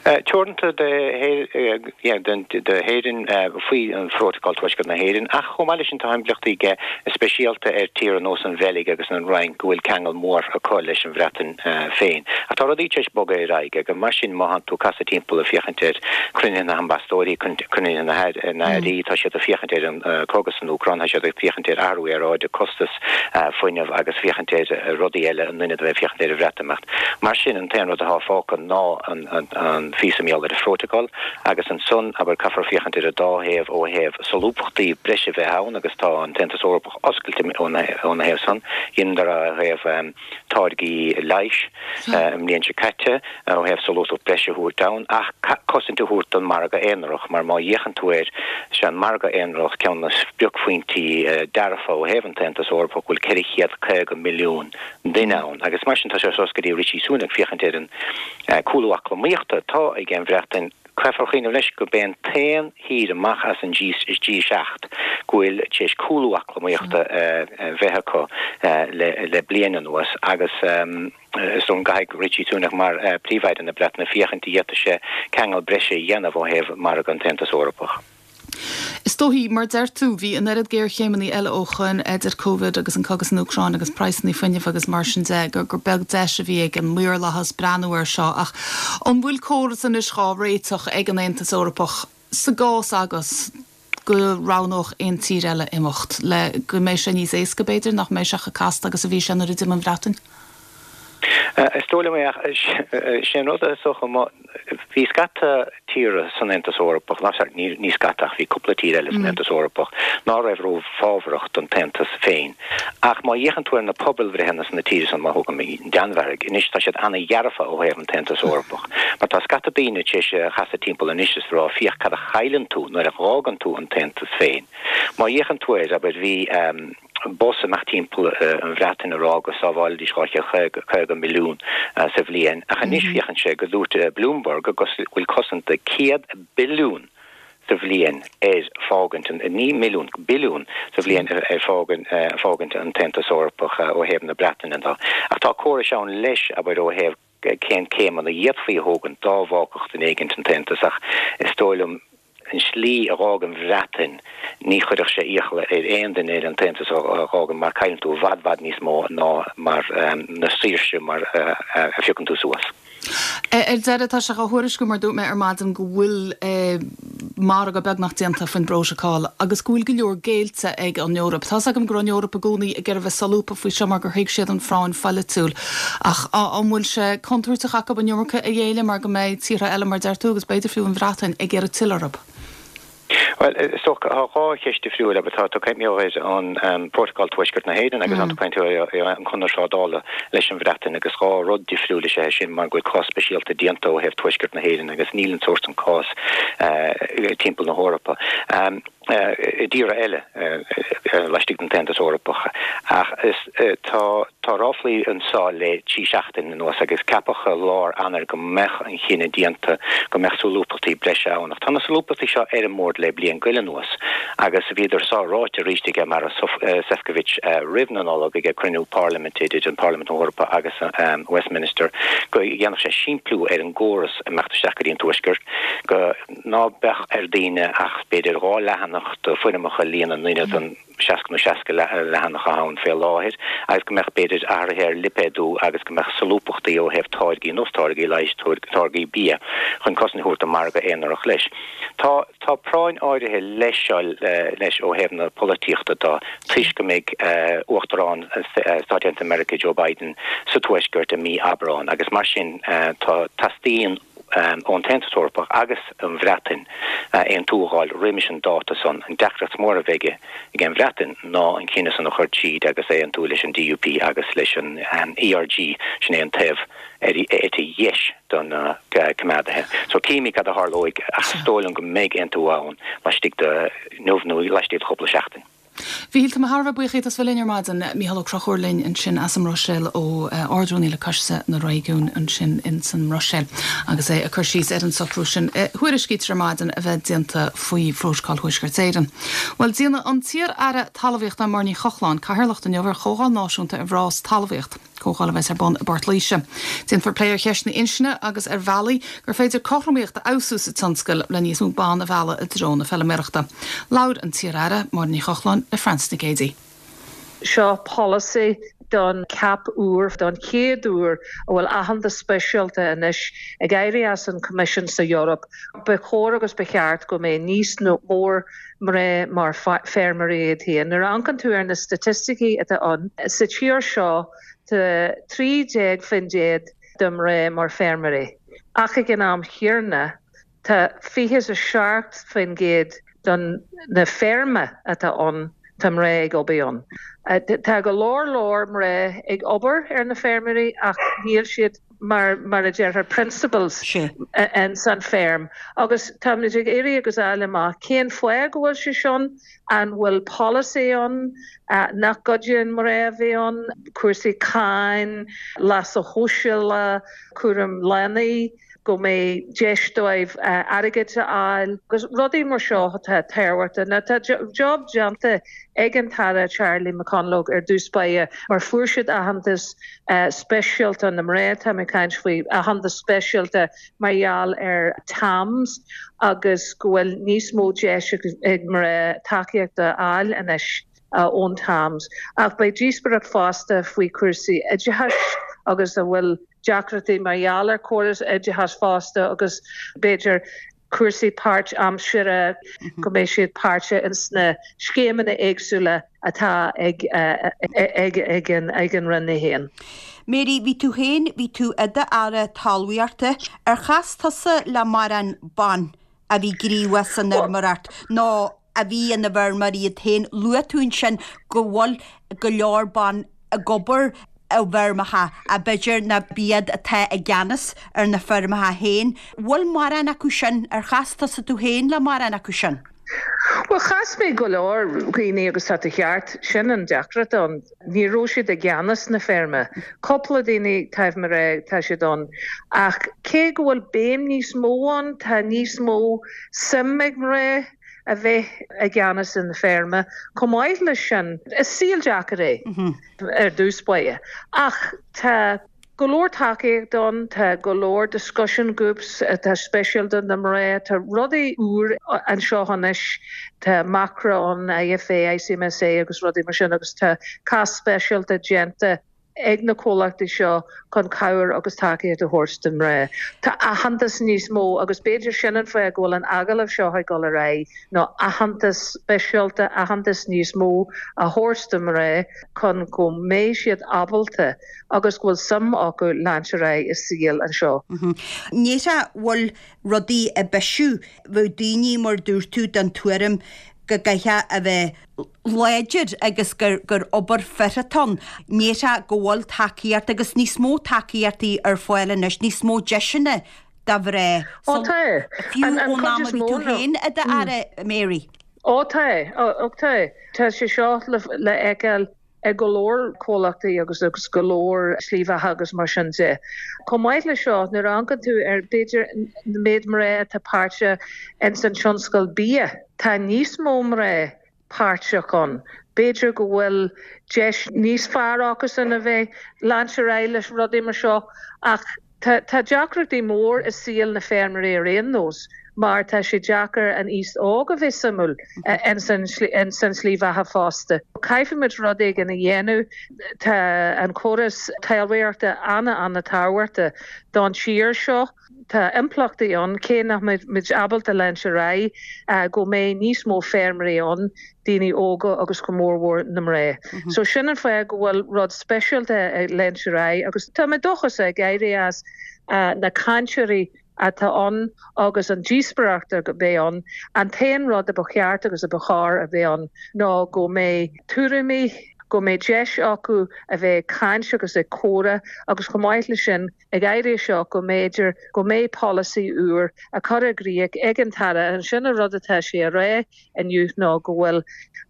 Teoranta d'Éirinn faoi an Phrótocál Tuaisceart na hÉireann, ach chomh maith leis sin tá impleachtaí aige speisialta ar tíortha nós an Bheilg agus an Fhrainc go bhfuil ceangal mór acu leis an Bhreatain féin. Ach tá rudaí tar éis bogadh ar aghaidh agus mar sin má thánn tú ag casadh timpeall ag féachaint ar chruinnithe na n-ambasadóirí, cruinnithe na n-airí, tá siad ag féachaint ar an cogadh san Úcráin, tá siad ag féachaint ar athrú aeráide, costas fuinnimh agus féachaint ar rudaí eile in ionad a bheith ag féachaint ar an Bhreatimeacht. Mar sin, an t-aon rud atá fágtha ná an phíosa mar gheall ar an Phrótacal agus ansan, abair, caithfear féachaint ar an dá thaobh ó thaobh solúbthachtaí breise a bheith ann agus tá an tAontas Eorpach oscailte óna thaobh san. Dheineadar ó thaobh táirgí leighis an mbliain seo caite, ó thaobh solúbthacht breise a thabhairt ann ach cosaint a thabhairt don mhargadh aonarach mar má fhéachann tú air, is é an margadh aonarach ceann de na spriocphointí dearfa ó thaobh an tAontas Eorpach go bhfuil 450 milliún duine ann agus mar sin tá sé suas go dtí Rishi Sunak féachaint ar an cúlú eacnamaíochta atá ag an Bhreatain. Caithfear cuimhneamh leis gurb é an t-aon thír amach as an G7 go bhfuil tar éis cúlú eacnamaíochta a bheith acu le bliain anuas agus is dóigh go gcaithfidh Rishi Sunak mar Príomh-Aire na Breataine féachaint an bhféadfadh sé ceangal breise a dhéanamh ó thaobh margadh an tAontas Eorpach. Is dóichí, mar deir tú, bhí an oiread géarchéimeanna eile ó shoin, idir Covid agus an cogadh san Úcráin agus praghsanna fuinnimh agus mar sin de, gur beag deis a bhí ag an maorlathas breathnú air seo. Ach an bhfuil córas anois dhá réiteach ag an Aontas Eorpach sa gcás agus go roghnódh aon tír eile imeacht, le go mbeidh sé níos éasca, b'fhéidir, nach mbeidh sé chomh casta agus a bhí sé nuair a d'imigh an Bhreatain? Is dóigh liom é, ach sé an rud is dócha, má, bhí scata tíortha san Aontas Eorpach, ná, sorry, ní, ní scata ach bhí cúpla tír eile san Aontas Eorpach ná raibh ró-fhábharach don tAontas féin. Ach má fhéachann tú ar na pobalbhreitheanna sna tíortha san, má thógaim an Danmhairg, anois tá siad ana-dhearfa ó thaobh an tAontas Eorpach. Mar tá scata daoine tar éis a chasadh timpeall anois is rá, féach cad a chailleann tú nuair a dh'fhágann tú an tAontas féin. Má fhéachann tú air, abair, bhí. bus ag imeacht timpeall an Bhreatain ag rá go sábhálfaidís 250 milliún sa bhliain ach anois féachann sé go dúirt Bloomberg go bhfuil cosaint de 100 billiún sa bhliain ar fágaint an, ní milliún, billiún sa bhliain ar fágaint an tAontas Eorpach ó thaobh na Breataine de. Ach tá córais ann leis, abair, ó thaobh cén céimeanna a d'fhéadfaí a thógaint dá bhfágfadh duine éigint an tAontas ach is dóigh liom an slí a dh'fhág an Bhreatain, ní chuirfeadh sé iachall ar aon duine eile an tAontas a dh'fhágaint mar cailleann tú i bhfad bhfad níos mó ná mar na saoirse mar a phiocann tú suas. Ar deireadh, tá sé á thuairisciú, mar a dúirt mé ar maidin, go bhfuil margadh beagnach déanta faoin bprótacal agus go bhfuil go leor géillte ag an Eoraip. Tá's agam go raibh an Eoraip i gcónaí ag iarraidh bheith solúbtha faoi seo mar gur thuig siad an phráinn pholaitiúil. Ach an bhfuil sé contúirteach acu an iomarca a ghéilleadh mar go mbeidh tíortha eile, mar a deir tú, agus b'fhéidir fiú an Bhreatain, ag iarraidh tuilleadh orthu? Bhuel, is dócha, tá 2 cheist difriúil agat. Tá tú ag caint ar an Prótacal Tuaisceart na hÉireann agus tá tú ag caint ar an Conradh Trádála leis an Bhreatain agus 2 rud difriúil is ea é sin mar go bhfuil cás speisialta déanta ó thaobh Tuaisceart na hÉireann agus níl an sórt san cás timpeall na hEorpa. I dtíortha eile laistigh den tAontas Eorpach. Ach is tá tá ráflaí anseo le 3 seachtain anuas agus ceapadh i lár Eanáir go mbeadh an chinneadh déanta go mbeadh solúbthachtaí breise ann. Ach tá na solúbthachtaí seo ar an mbord le bliain go leith anuas agus bhíodar seo ráite arís ag Maros Sefcovic roimh na Nollag ag cruinniú parlaiminte idir an Parlaimint na hEorpa agus Westminster go dhéanfadh sé simpliú ar an gcóras imeacht isteach go dtí an Tuaisceart, go ná beadh ar daoine ach b'fhéidir 2 leathanach de foirmeacha a líonadh in ionad an 60 nó 60 leathanach atá ann fé láthair agus go mbeadh, b'fhéidir, athruithe ar lipéadú agus go mbeadh solúbthachtaí ó thaobh táirgí, nós táirgí leighis, táirgí bia, chun cosaint a thabhairt don mhargadh aonarach leis. Tá, tá práinn áirithe leis seo leis ó thaobh na polaitíochta de toisc go mbeidh Uachtarán Stáit Aontaithe Meiriceá Joe Biden sa Tuaisceart i mí Aibreáin agus mar sin tá, teastaíonn ón tAontas Eorpach agus an Bhreatain aontú a dh'fháil roimis an dáta san. An deacracht mór a bheidh ag an Bhreatain ná an cinneadh san a chur tríd agus é aontú leis an DUP agus leis an ERG, sin é an taobh ar eite dheis de na coimeádaithe. So cífimid cad a tharlóidh ach is dóigh liom go mbeidh aontú ann laistigh de inniu nó laistigh de chúpla seachtain. Mhíchíl, tá mé thar a bheith buíoch díot as bheith linn ar maidin. Mícheál Ó Conchúir linn ansin as an mBruiséil, ó Ard-Rúnaí le Coiste na Réigiún ansin ins an mBruiséil agus é ag cur síos ar an socrú sin a thuairiscítear ar maidin a bheith déanta faoi Phrótacal Thuaisceart Éireann. Bhuel, déanfaidh an t-iar-aire talmhaíochta Máire Ní Chochláin cathaoirleacht inniu ar Chomhdháil Náisiúnta ar Mhná sa Talmhaíocht. Comhdháil a bheas ar bun i bPort Laoise. Déanfar plé ar cheisteanna inscne agus ar bhealaí gur féidir cothromaíocht a fheabhsú sa tionscal le níos mó ban a mhealladh i dtreo na feilméarachta. Labhair an t-iar-aire, Máire Ní Chochláin, le Frances Nic Géadaigh. Seo polasaí don CAP úr, don chéad uair a bhfuil aitheantas speisialta anois ag éirí as an Coimisiún sa Eoraip. Ba chóir agus ba cheart go mbeidh níos mór mná mar feirmeoirí iad féin. Nuair a amharcann tú ar na staitisticí atá ann sa tír seo tá 13% de mná mar feirmeoirí ach ag an am chéanna tá 27% don na feirme atá ann tá mná ag obair ann. Tá go leor leor mná ag obair ar na feirmeoirí ach níl siad mar mar a déarfar principals ins an feirm agus táimid ag iarraidh agus fháil amach cén fáth go bhfuil sé sin, an bhfuil polasaí ann nach gcuidíonn mná a bheith ann, cúrsaí cáin, leasa shóisialta, cúram leanaí. go mbeidh deis dóibh airgead a fháil agus rudaí mar seo atá tábhachtach. Now tá job déanta ag an tAire Charlie McConalogue ar dtús báire mar fuair siad aitheantas speisialta na mná, tá mé ag caint faoi aitheantas speisialta mar gheall ar TAMS agus go bhfuil níos mó deis ag mná tacaíocht a fháil anois ón TAMS. Ach beidh díospóireacht fosta faoi chúrsaí oideachais agus a bhfuil deacrachtaí mar gheall ar córas oideachais fosta agus b'fhéidir cúrsaí páirt aimsire, go mbeidh siad páirteach ins na scéimeanna éagsúla atá ag ag an Roinn í féin. Mary, bhí tú féin, bhí tú i d'aire talmhaíochta, ar chas tusa le mórán ban a bhí gníomhach san fheirmeoireacht nó a bhí ina bhfeirmeoirí iad féin. Luaigh tú ansin go bhfuil go leor ban ag obair i bhfeirmeacha ach b'fhéidir nach iad atá i gceannas ar na feirmeacha féin. Bhfuil mórán acu sin, ar chas tusa tú féin le mórán acu sin? Bhuel, chas mé go leor daoine agus tá tú ceart, sin an deacracht ann. Ní raibh siad i gceannas na feirme. Cúpla daoine taobh mo ré, tá siad ann. Ach cé go bhfuil béim níos mó ann, tá níos mó suim ag mná a bheith i gceannas na feirme. Chomh maith leis sin, is saol deacair é ar dtús báire. Ach tá go leor tacaíocht ann, tá go leor discussion groups atá speisialta do na mná, tá rudaí úr anseo anois, tá Macra ann, IFA, ICMSA agus rudaí mar sin agus tá cás speisialta déanta. ag na comhlachtaí seo chun cabhair agus tacaíocht a thabhairt do mhná. Tá aitheantas níos mó agus b'fhéidir sin an fáth go bhfuil an agallamh seo ag dul ar aghaidh ná aitheantas speisialta, aitheantas níos mó a thabhairt do mhná chun go mbeidh siad ábalta agus go bhfuil suim acu leanúint ar aghaidh i saol anseo. Ní bhfuil rudaí ag bisiú, bheadh daoine mar dúirt tú den tuairim go gcaithfeá a bheith láidir agus gur gur obair fir atá ann. Ní hea go bhfuil tacaíocht agus níos mó tacaíochtaí ar fáil anois, níos mó deiseanna do mhná. Ó tá. Fiú ón am a bhí tú féin i d'aire, Mary. Ó tá. Ó tá. Tá sé seo le feiceáil i go leor comhlachtaí agus agus go leor slí bheatha agus mar sin de. Chomh maith le seo, nuair a amharcann tú ar b'fhéidir an méid mná atá páirteach ins an tionscal bia, tá níos mó mná páirteach ann. B'fhéidir go bhfuil deis níos fearr acusan a bheith leanúint ar aghaidh leis rudaí mar seo ach tá tá deacrachtaí mór i saol na feirmeoirí ar aon nós mar tá sé deacair an aos óg a bheith suimiúil ins an ins an slí bheatha fosta. Caithfimid rud éigin a dhéanamh. Tá an córas talmhaíochta ana-ana-tábhachtach don tír seo. Tá impleachtaí ann, cé nach mbeidh muid ábalta leanúint ar aghaidh, go mbeidh níos mó feirmeoirí ann, daoine óga agus go mórmhór na mná. So sin an fáth go bhfuil rud speisialta ag leanúint ar aghaidh agus tá mé dóchasach ag éirí as na cainteoirí atá ann agus an díospóireacht a bheidh ann. An t-aon rud a ba cheart agus a ba chóir a bheith ann ná go mbeidh tuairimí, go mbeidh deis acu a bheith ag caint agus ag comhrá agus chomh maith leis sin, ag éirí as seo go mb'fhéidir go mbeidh polasaí úr á chur i gcrích ag an tAire. Ansin an rud atá sé a rá inniu ná go bhfuil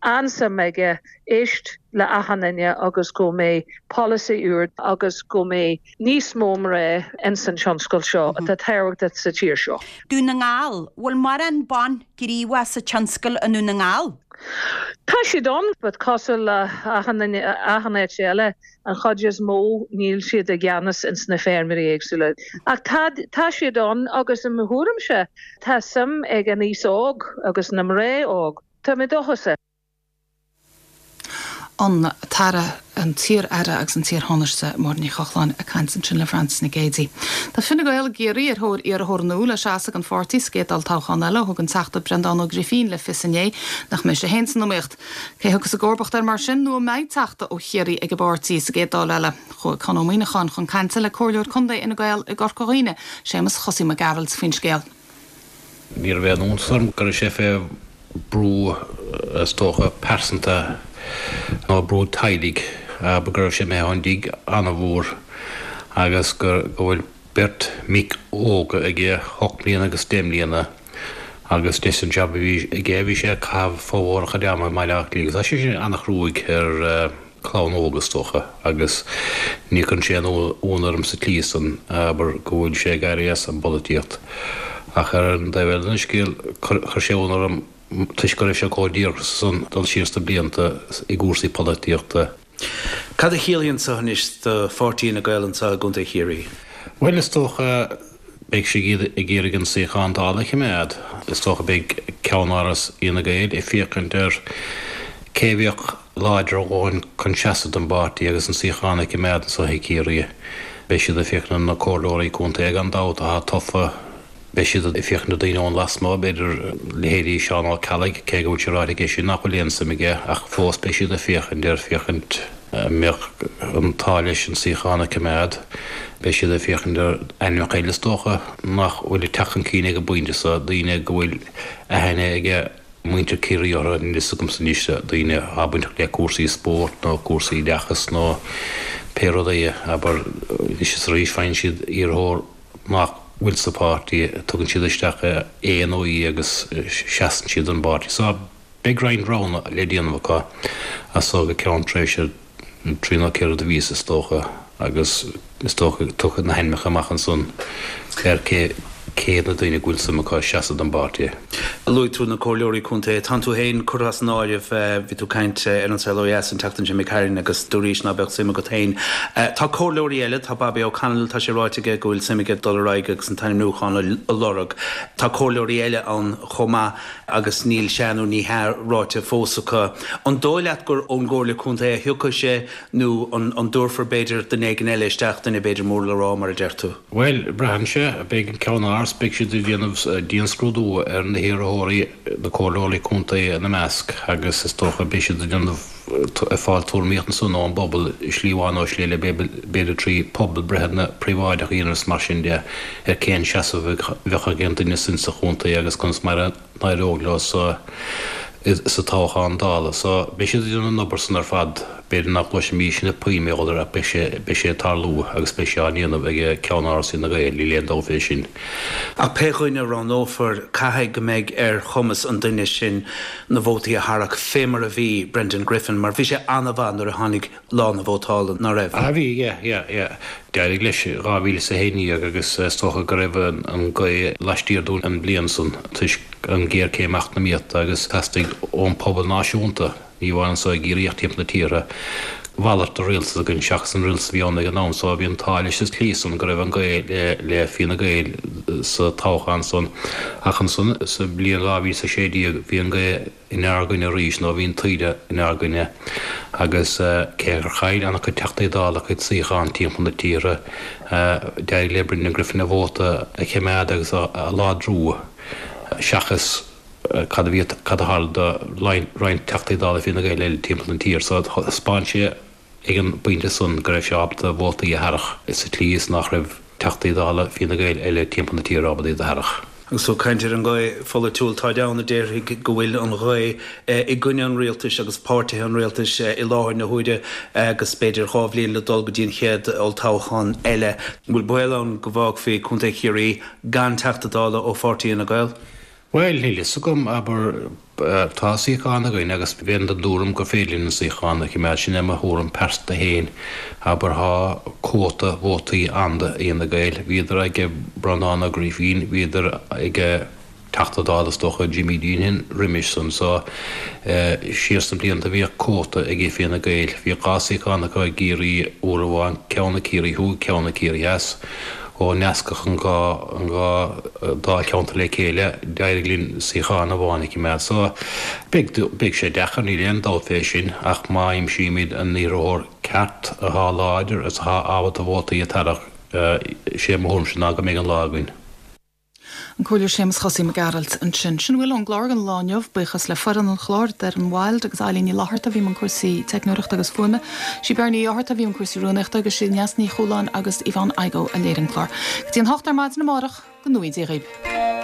an-suim aige éist le achan duine agus go mbeidh polasaí úr agus go mbeidh níos mó mná ins an tionscal seo atá tábhachtach sa tír seo. Dún na nGall, Bhfuil mórán ban gníomhach sa tionscal i nDún na nGall? Tá siad ann, but cosúil le achan duine, achan áit eile, An chuid is mó níl siad i gceannas ins na feirmeoirí éagsúla. Ach tá, tá siad ann agus i mo thuairimse tá suim ag an aos óg agus na mná óg. Tá mé dóchasach. An tAire, an t-iar-aire agus an t-iar-Thánaiste Máire Ní Chochláin ag caint ansin le Frances Nic Géadaigh. Tá Fine Gael i gCiarraí ar thóir iarrthóir nua le seasamh don pháirtí sa gcéad olltoghchán eile ó thug an Teachta Breandán Ó Grifín le fios inné nach mbeidh sé féin san iomaíocht. Cé thiocfas i gcomharbacht air mar sin nó an mbeidh Teachta ó Chiarraí ag an bpáirtí sa gcéad Dáil eile? Chuaigh Con Ó Muíneacháin chun cainte le Comhairleoir Contae Fhine Gael i gCorca Dhuibhne, Séamus Chosaí Mac Gearailt, faoin scéal. Ní raibh aon iontas orm go raibh sé fé bhrú is dócha pearsanta nó brú teaghlaigh, abair go raibh sé imithe ón dtigh an-mhór agus go bhfuil beirt mic óga aige, 8 mbliana agus 10 mbliana, agus leis an jab a bhí aige bhí sé ag caitheamh formhór a chuid ama i mBaile Átha Cliath agus tá sé sin an-chruaidh ar chlann óg is dócha agus ní chuireann sé aon ionadh orm sa tslí san, abair, go bhfuil sé ag éirí as an bpolaitíocht. Ach ar an dtaobh eile den scéal chuir sé ionadh orm toisc go raibh sé chomh díograiseach san dul siar sna blianta i gcúrsaí polaitíochta. Cad a chiallaíonn seo anois do pháirtí Fhine Gael anseo i gContae Chiarraí? Bhuel, is dócha, beidh siad ag iarraidh an suíochán Dála a choimeád. Is dócha beidh ceannáras Fhine Gael ag féachaint ar cé a bheadh láidir a dhóthain chun seasamh don bpáirtí agus an suíochán a choimeád anseo i Ciarraí. Beidh siad ag féachaint ar na comhairleoirí contae gan dabht atá tofa. Beidh siad ag féachaint ar daoine ón lasmuigh, b'fhéidir leithéidí Seán Ó Ceallaigh, cé go bhfuil sé ráite aige sin nach bhfuil aon suim aige, ach fós beidh siad ag féachaint air, féachaint an mbeadh an t-ádh leis an suíochán a choimeád. Beidh siad ag féachaint ar ainmneacha eile is dócha nach bhfuil ag teacht chun cinn ag an bpointe seo, daoine go bhfuil aithne ag muintir Chiarraí orthu, níl fhios agamsa anois, daoine atá bainteach le cúrsaí spóirt nó cúrsaí oideachais nó pé rud é, abair, anois is arís faigheann siad iarrthóir nach bhfuil sa pháirtí, tugann siad isteach é nó í agus seasann siad don bpáirtí. So, beidh roinnt roghanna le déanamh acu as so go ceann tréimhse trí nó ceithre de mhíosa is dócha agus is dócha go dtiocfaidh na hainmneacha amach ansan ar cé. Cé hiad na daoine go bhfuil suim acu seasamh don bpáirtí? Luaigh tú na comhairleoirí contae. Tánn tú féin curtha as an áireamh. Bhí tú ag caint ar An Saol Ó Dheas an tseachtain seo imigh tharainn agus dúraís ná beadh suim agat féin. Tá comhairleoirí eile, tá Bobby O'Connell, tá sé ráite aige go bhfuil suim aige dul ar aghaidh agus an t-ainmniúchán a lorg. Tá comhairleoirí eile ann chomh maith agus níl sea nó ní hea ráite fós acu. An dóigh leat gur ón gComhairle Contae a thiocfaidh sé nó an dtabharfar b'fhéidir duine éigin eile isteach, duine b'fhéidir mór le rá mar a deir tú? Bhuel, braitheann sé. Beidh an Ceann-Áras, beidh siad ag déanamh dianscrúdú ar na hiarrthóirí, na comhairleoirí contae ina measc, agus is dócha beidh siad ag déanamh, ag fáil tuairimíocht ansan ón bpobal i slí amháin nó i slí eile, b'fhéidir trí pobalbhreitheanna príobháideacha a dhéanamh is mar sin de, ar cén seasamh a bheadh ag an duine sin sa chontae agus conas mar a. n-éireodh leo sa sa toghchán Dála. So, beidh siad ag déanamh an obair san ar fad. B'fhéidir nach gcloisfimís na puinn mar gheall air ach beidh sé beidh sé ag tarlú agus beidh sé á ndéanamh ag Ceann-Áras Fhine Gael, níl aon dabht fé sin. Ach pé dhuine a roghnófar, caithfidh go mbeidh ar chumas an duine sin na vótaí a tharrac, fé mar a bhí Brendan Griffin, mar bhí sé an-mhaith nuair a tháinig lá na vótála, ná raibh? Ah bhí, yeah, yeah, yeah. D'éirigh leis i 2011 agus is dócha go raibh an ghaoth laistiar dúinn an bhliain san toisc an ghéarchéim eacnamaíochta agus theastaigh ón pobal náisiúnta, ní amháin anso i gCiarraí ach timpeall na tíre, mhalairt de rialtas againn seachas an rialtas a bhí ann ag an am so bhí an t-ádh leis sa tslí san go raibh an ghaoth le Fianna Gael sa toghchán san ach ansan sa bhliain 2016 bhí an ghaoth inár gcoinne arís, nó bhí an taoide inár gcoinne, agus cé gur chaill an-chuid Teachtaí Dála a gcuid suíochán timpeall na tíre, d'éirigh le Brendan Griffin a vóta a choimeád agus a láidriú, seachas cad a bhí, cad a tharla do roinnt Teachtaí Dála Fine Gael eile timpeall na tíre. So thaispeáin sé ag an bpointe san go raibh sé ábalta vótaí a tharrac sa tslí is nach raibh Teachtaí Dála Fine Gael eile timpeall na tíre ábalta iad a tharrac. Agus tú ag caint ar an ngaoth pholaitiúil, táid ann a déarfaidh go bhfuil an ghaoth i gcoinne an rialtais agus páirtithe an rialtais i láthair na huaire agus b'fhéidir 2 bhliain le dul go dtí an chéad olltoghchán eile. An bhfuil baol ann go bhfágfaí Contae Chiarraí gan Teachta Dála ó pháirtí Fhine Gael? Bhuel, níl fhios agam, abair, tá suíochán againn agus bheinn den dtuairim gur féidir linn an suíochán a choimeád, sin é mo thuairim pearsanta féin. Abair, tá cuóta vótaí ann do Fhine Gael, bhíodar ag Breandán Ó Grifín, bhíodar ag Teachta Dála is dócha Jimmy Deenihan roimis san, so siar sna blianta bhíodh cuóta ag Fianna Gael, bhíodh 2 suíochán acu i gCiarraí uair amháin, ceann i Ciarraí Thuaidh, ceann i Ciarraí Theas. Ó nascadh an dá an dá dáilcheantar le chéile, d'éirigh linn suíochán amháin a choimeád. So, beidh beidh sé deacair, níl aon dabht fé sin, ach má aimsímid an iarrthóir ceart athá láidir is athá ábalta vótaí a tarrac, sé mo thuairimse ná go mbeidh an lá againn. An Comhairleoir Séamus Chosaí Mac Gearailt ansin. Sin a bhfuil ón gclár don lá inniu. Buíochas le foireann an chláir, Doireann Wilde agus Eilín Ní Fhlatharta a bhí i mbun cúrsaí teicneoireachta agus fuaime. Sí Beirní Uí Fhátharta a bhí i mbun cúrsaí rúnaíochta agus sí Neasa Ní Chualáin agus Yvonne Igoe a léirigh an clár. Go dtí an hocht ar maidin amárach, go ngnóthaí Dia dhaoibh.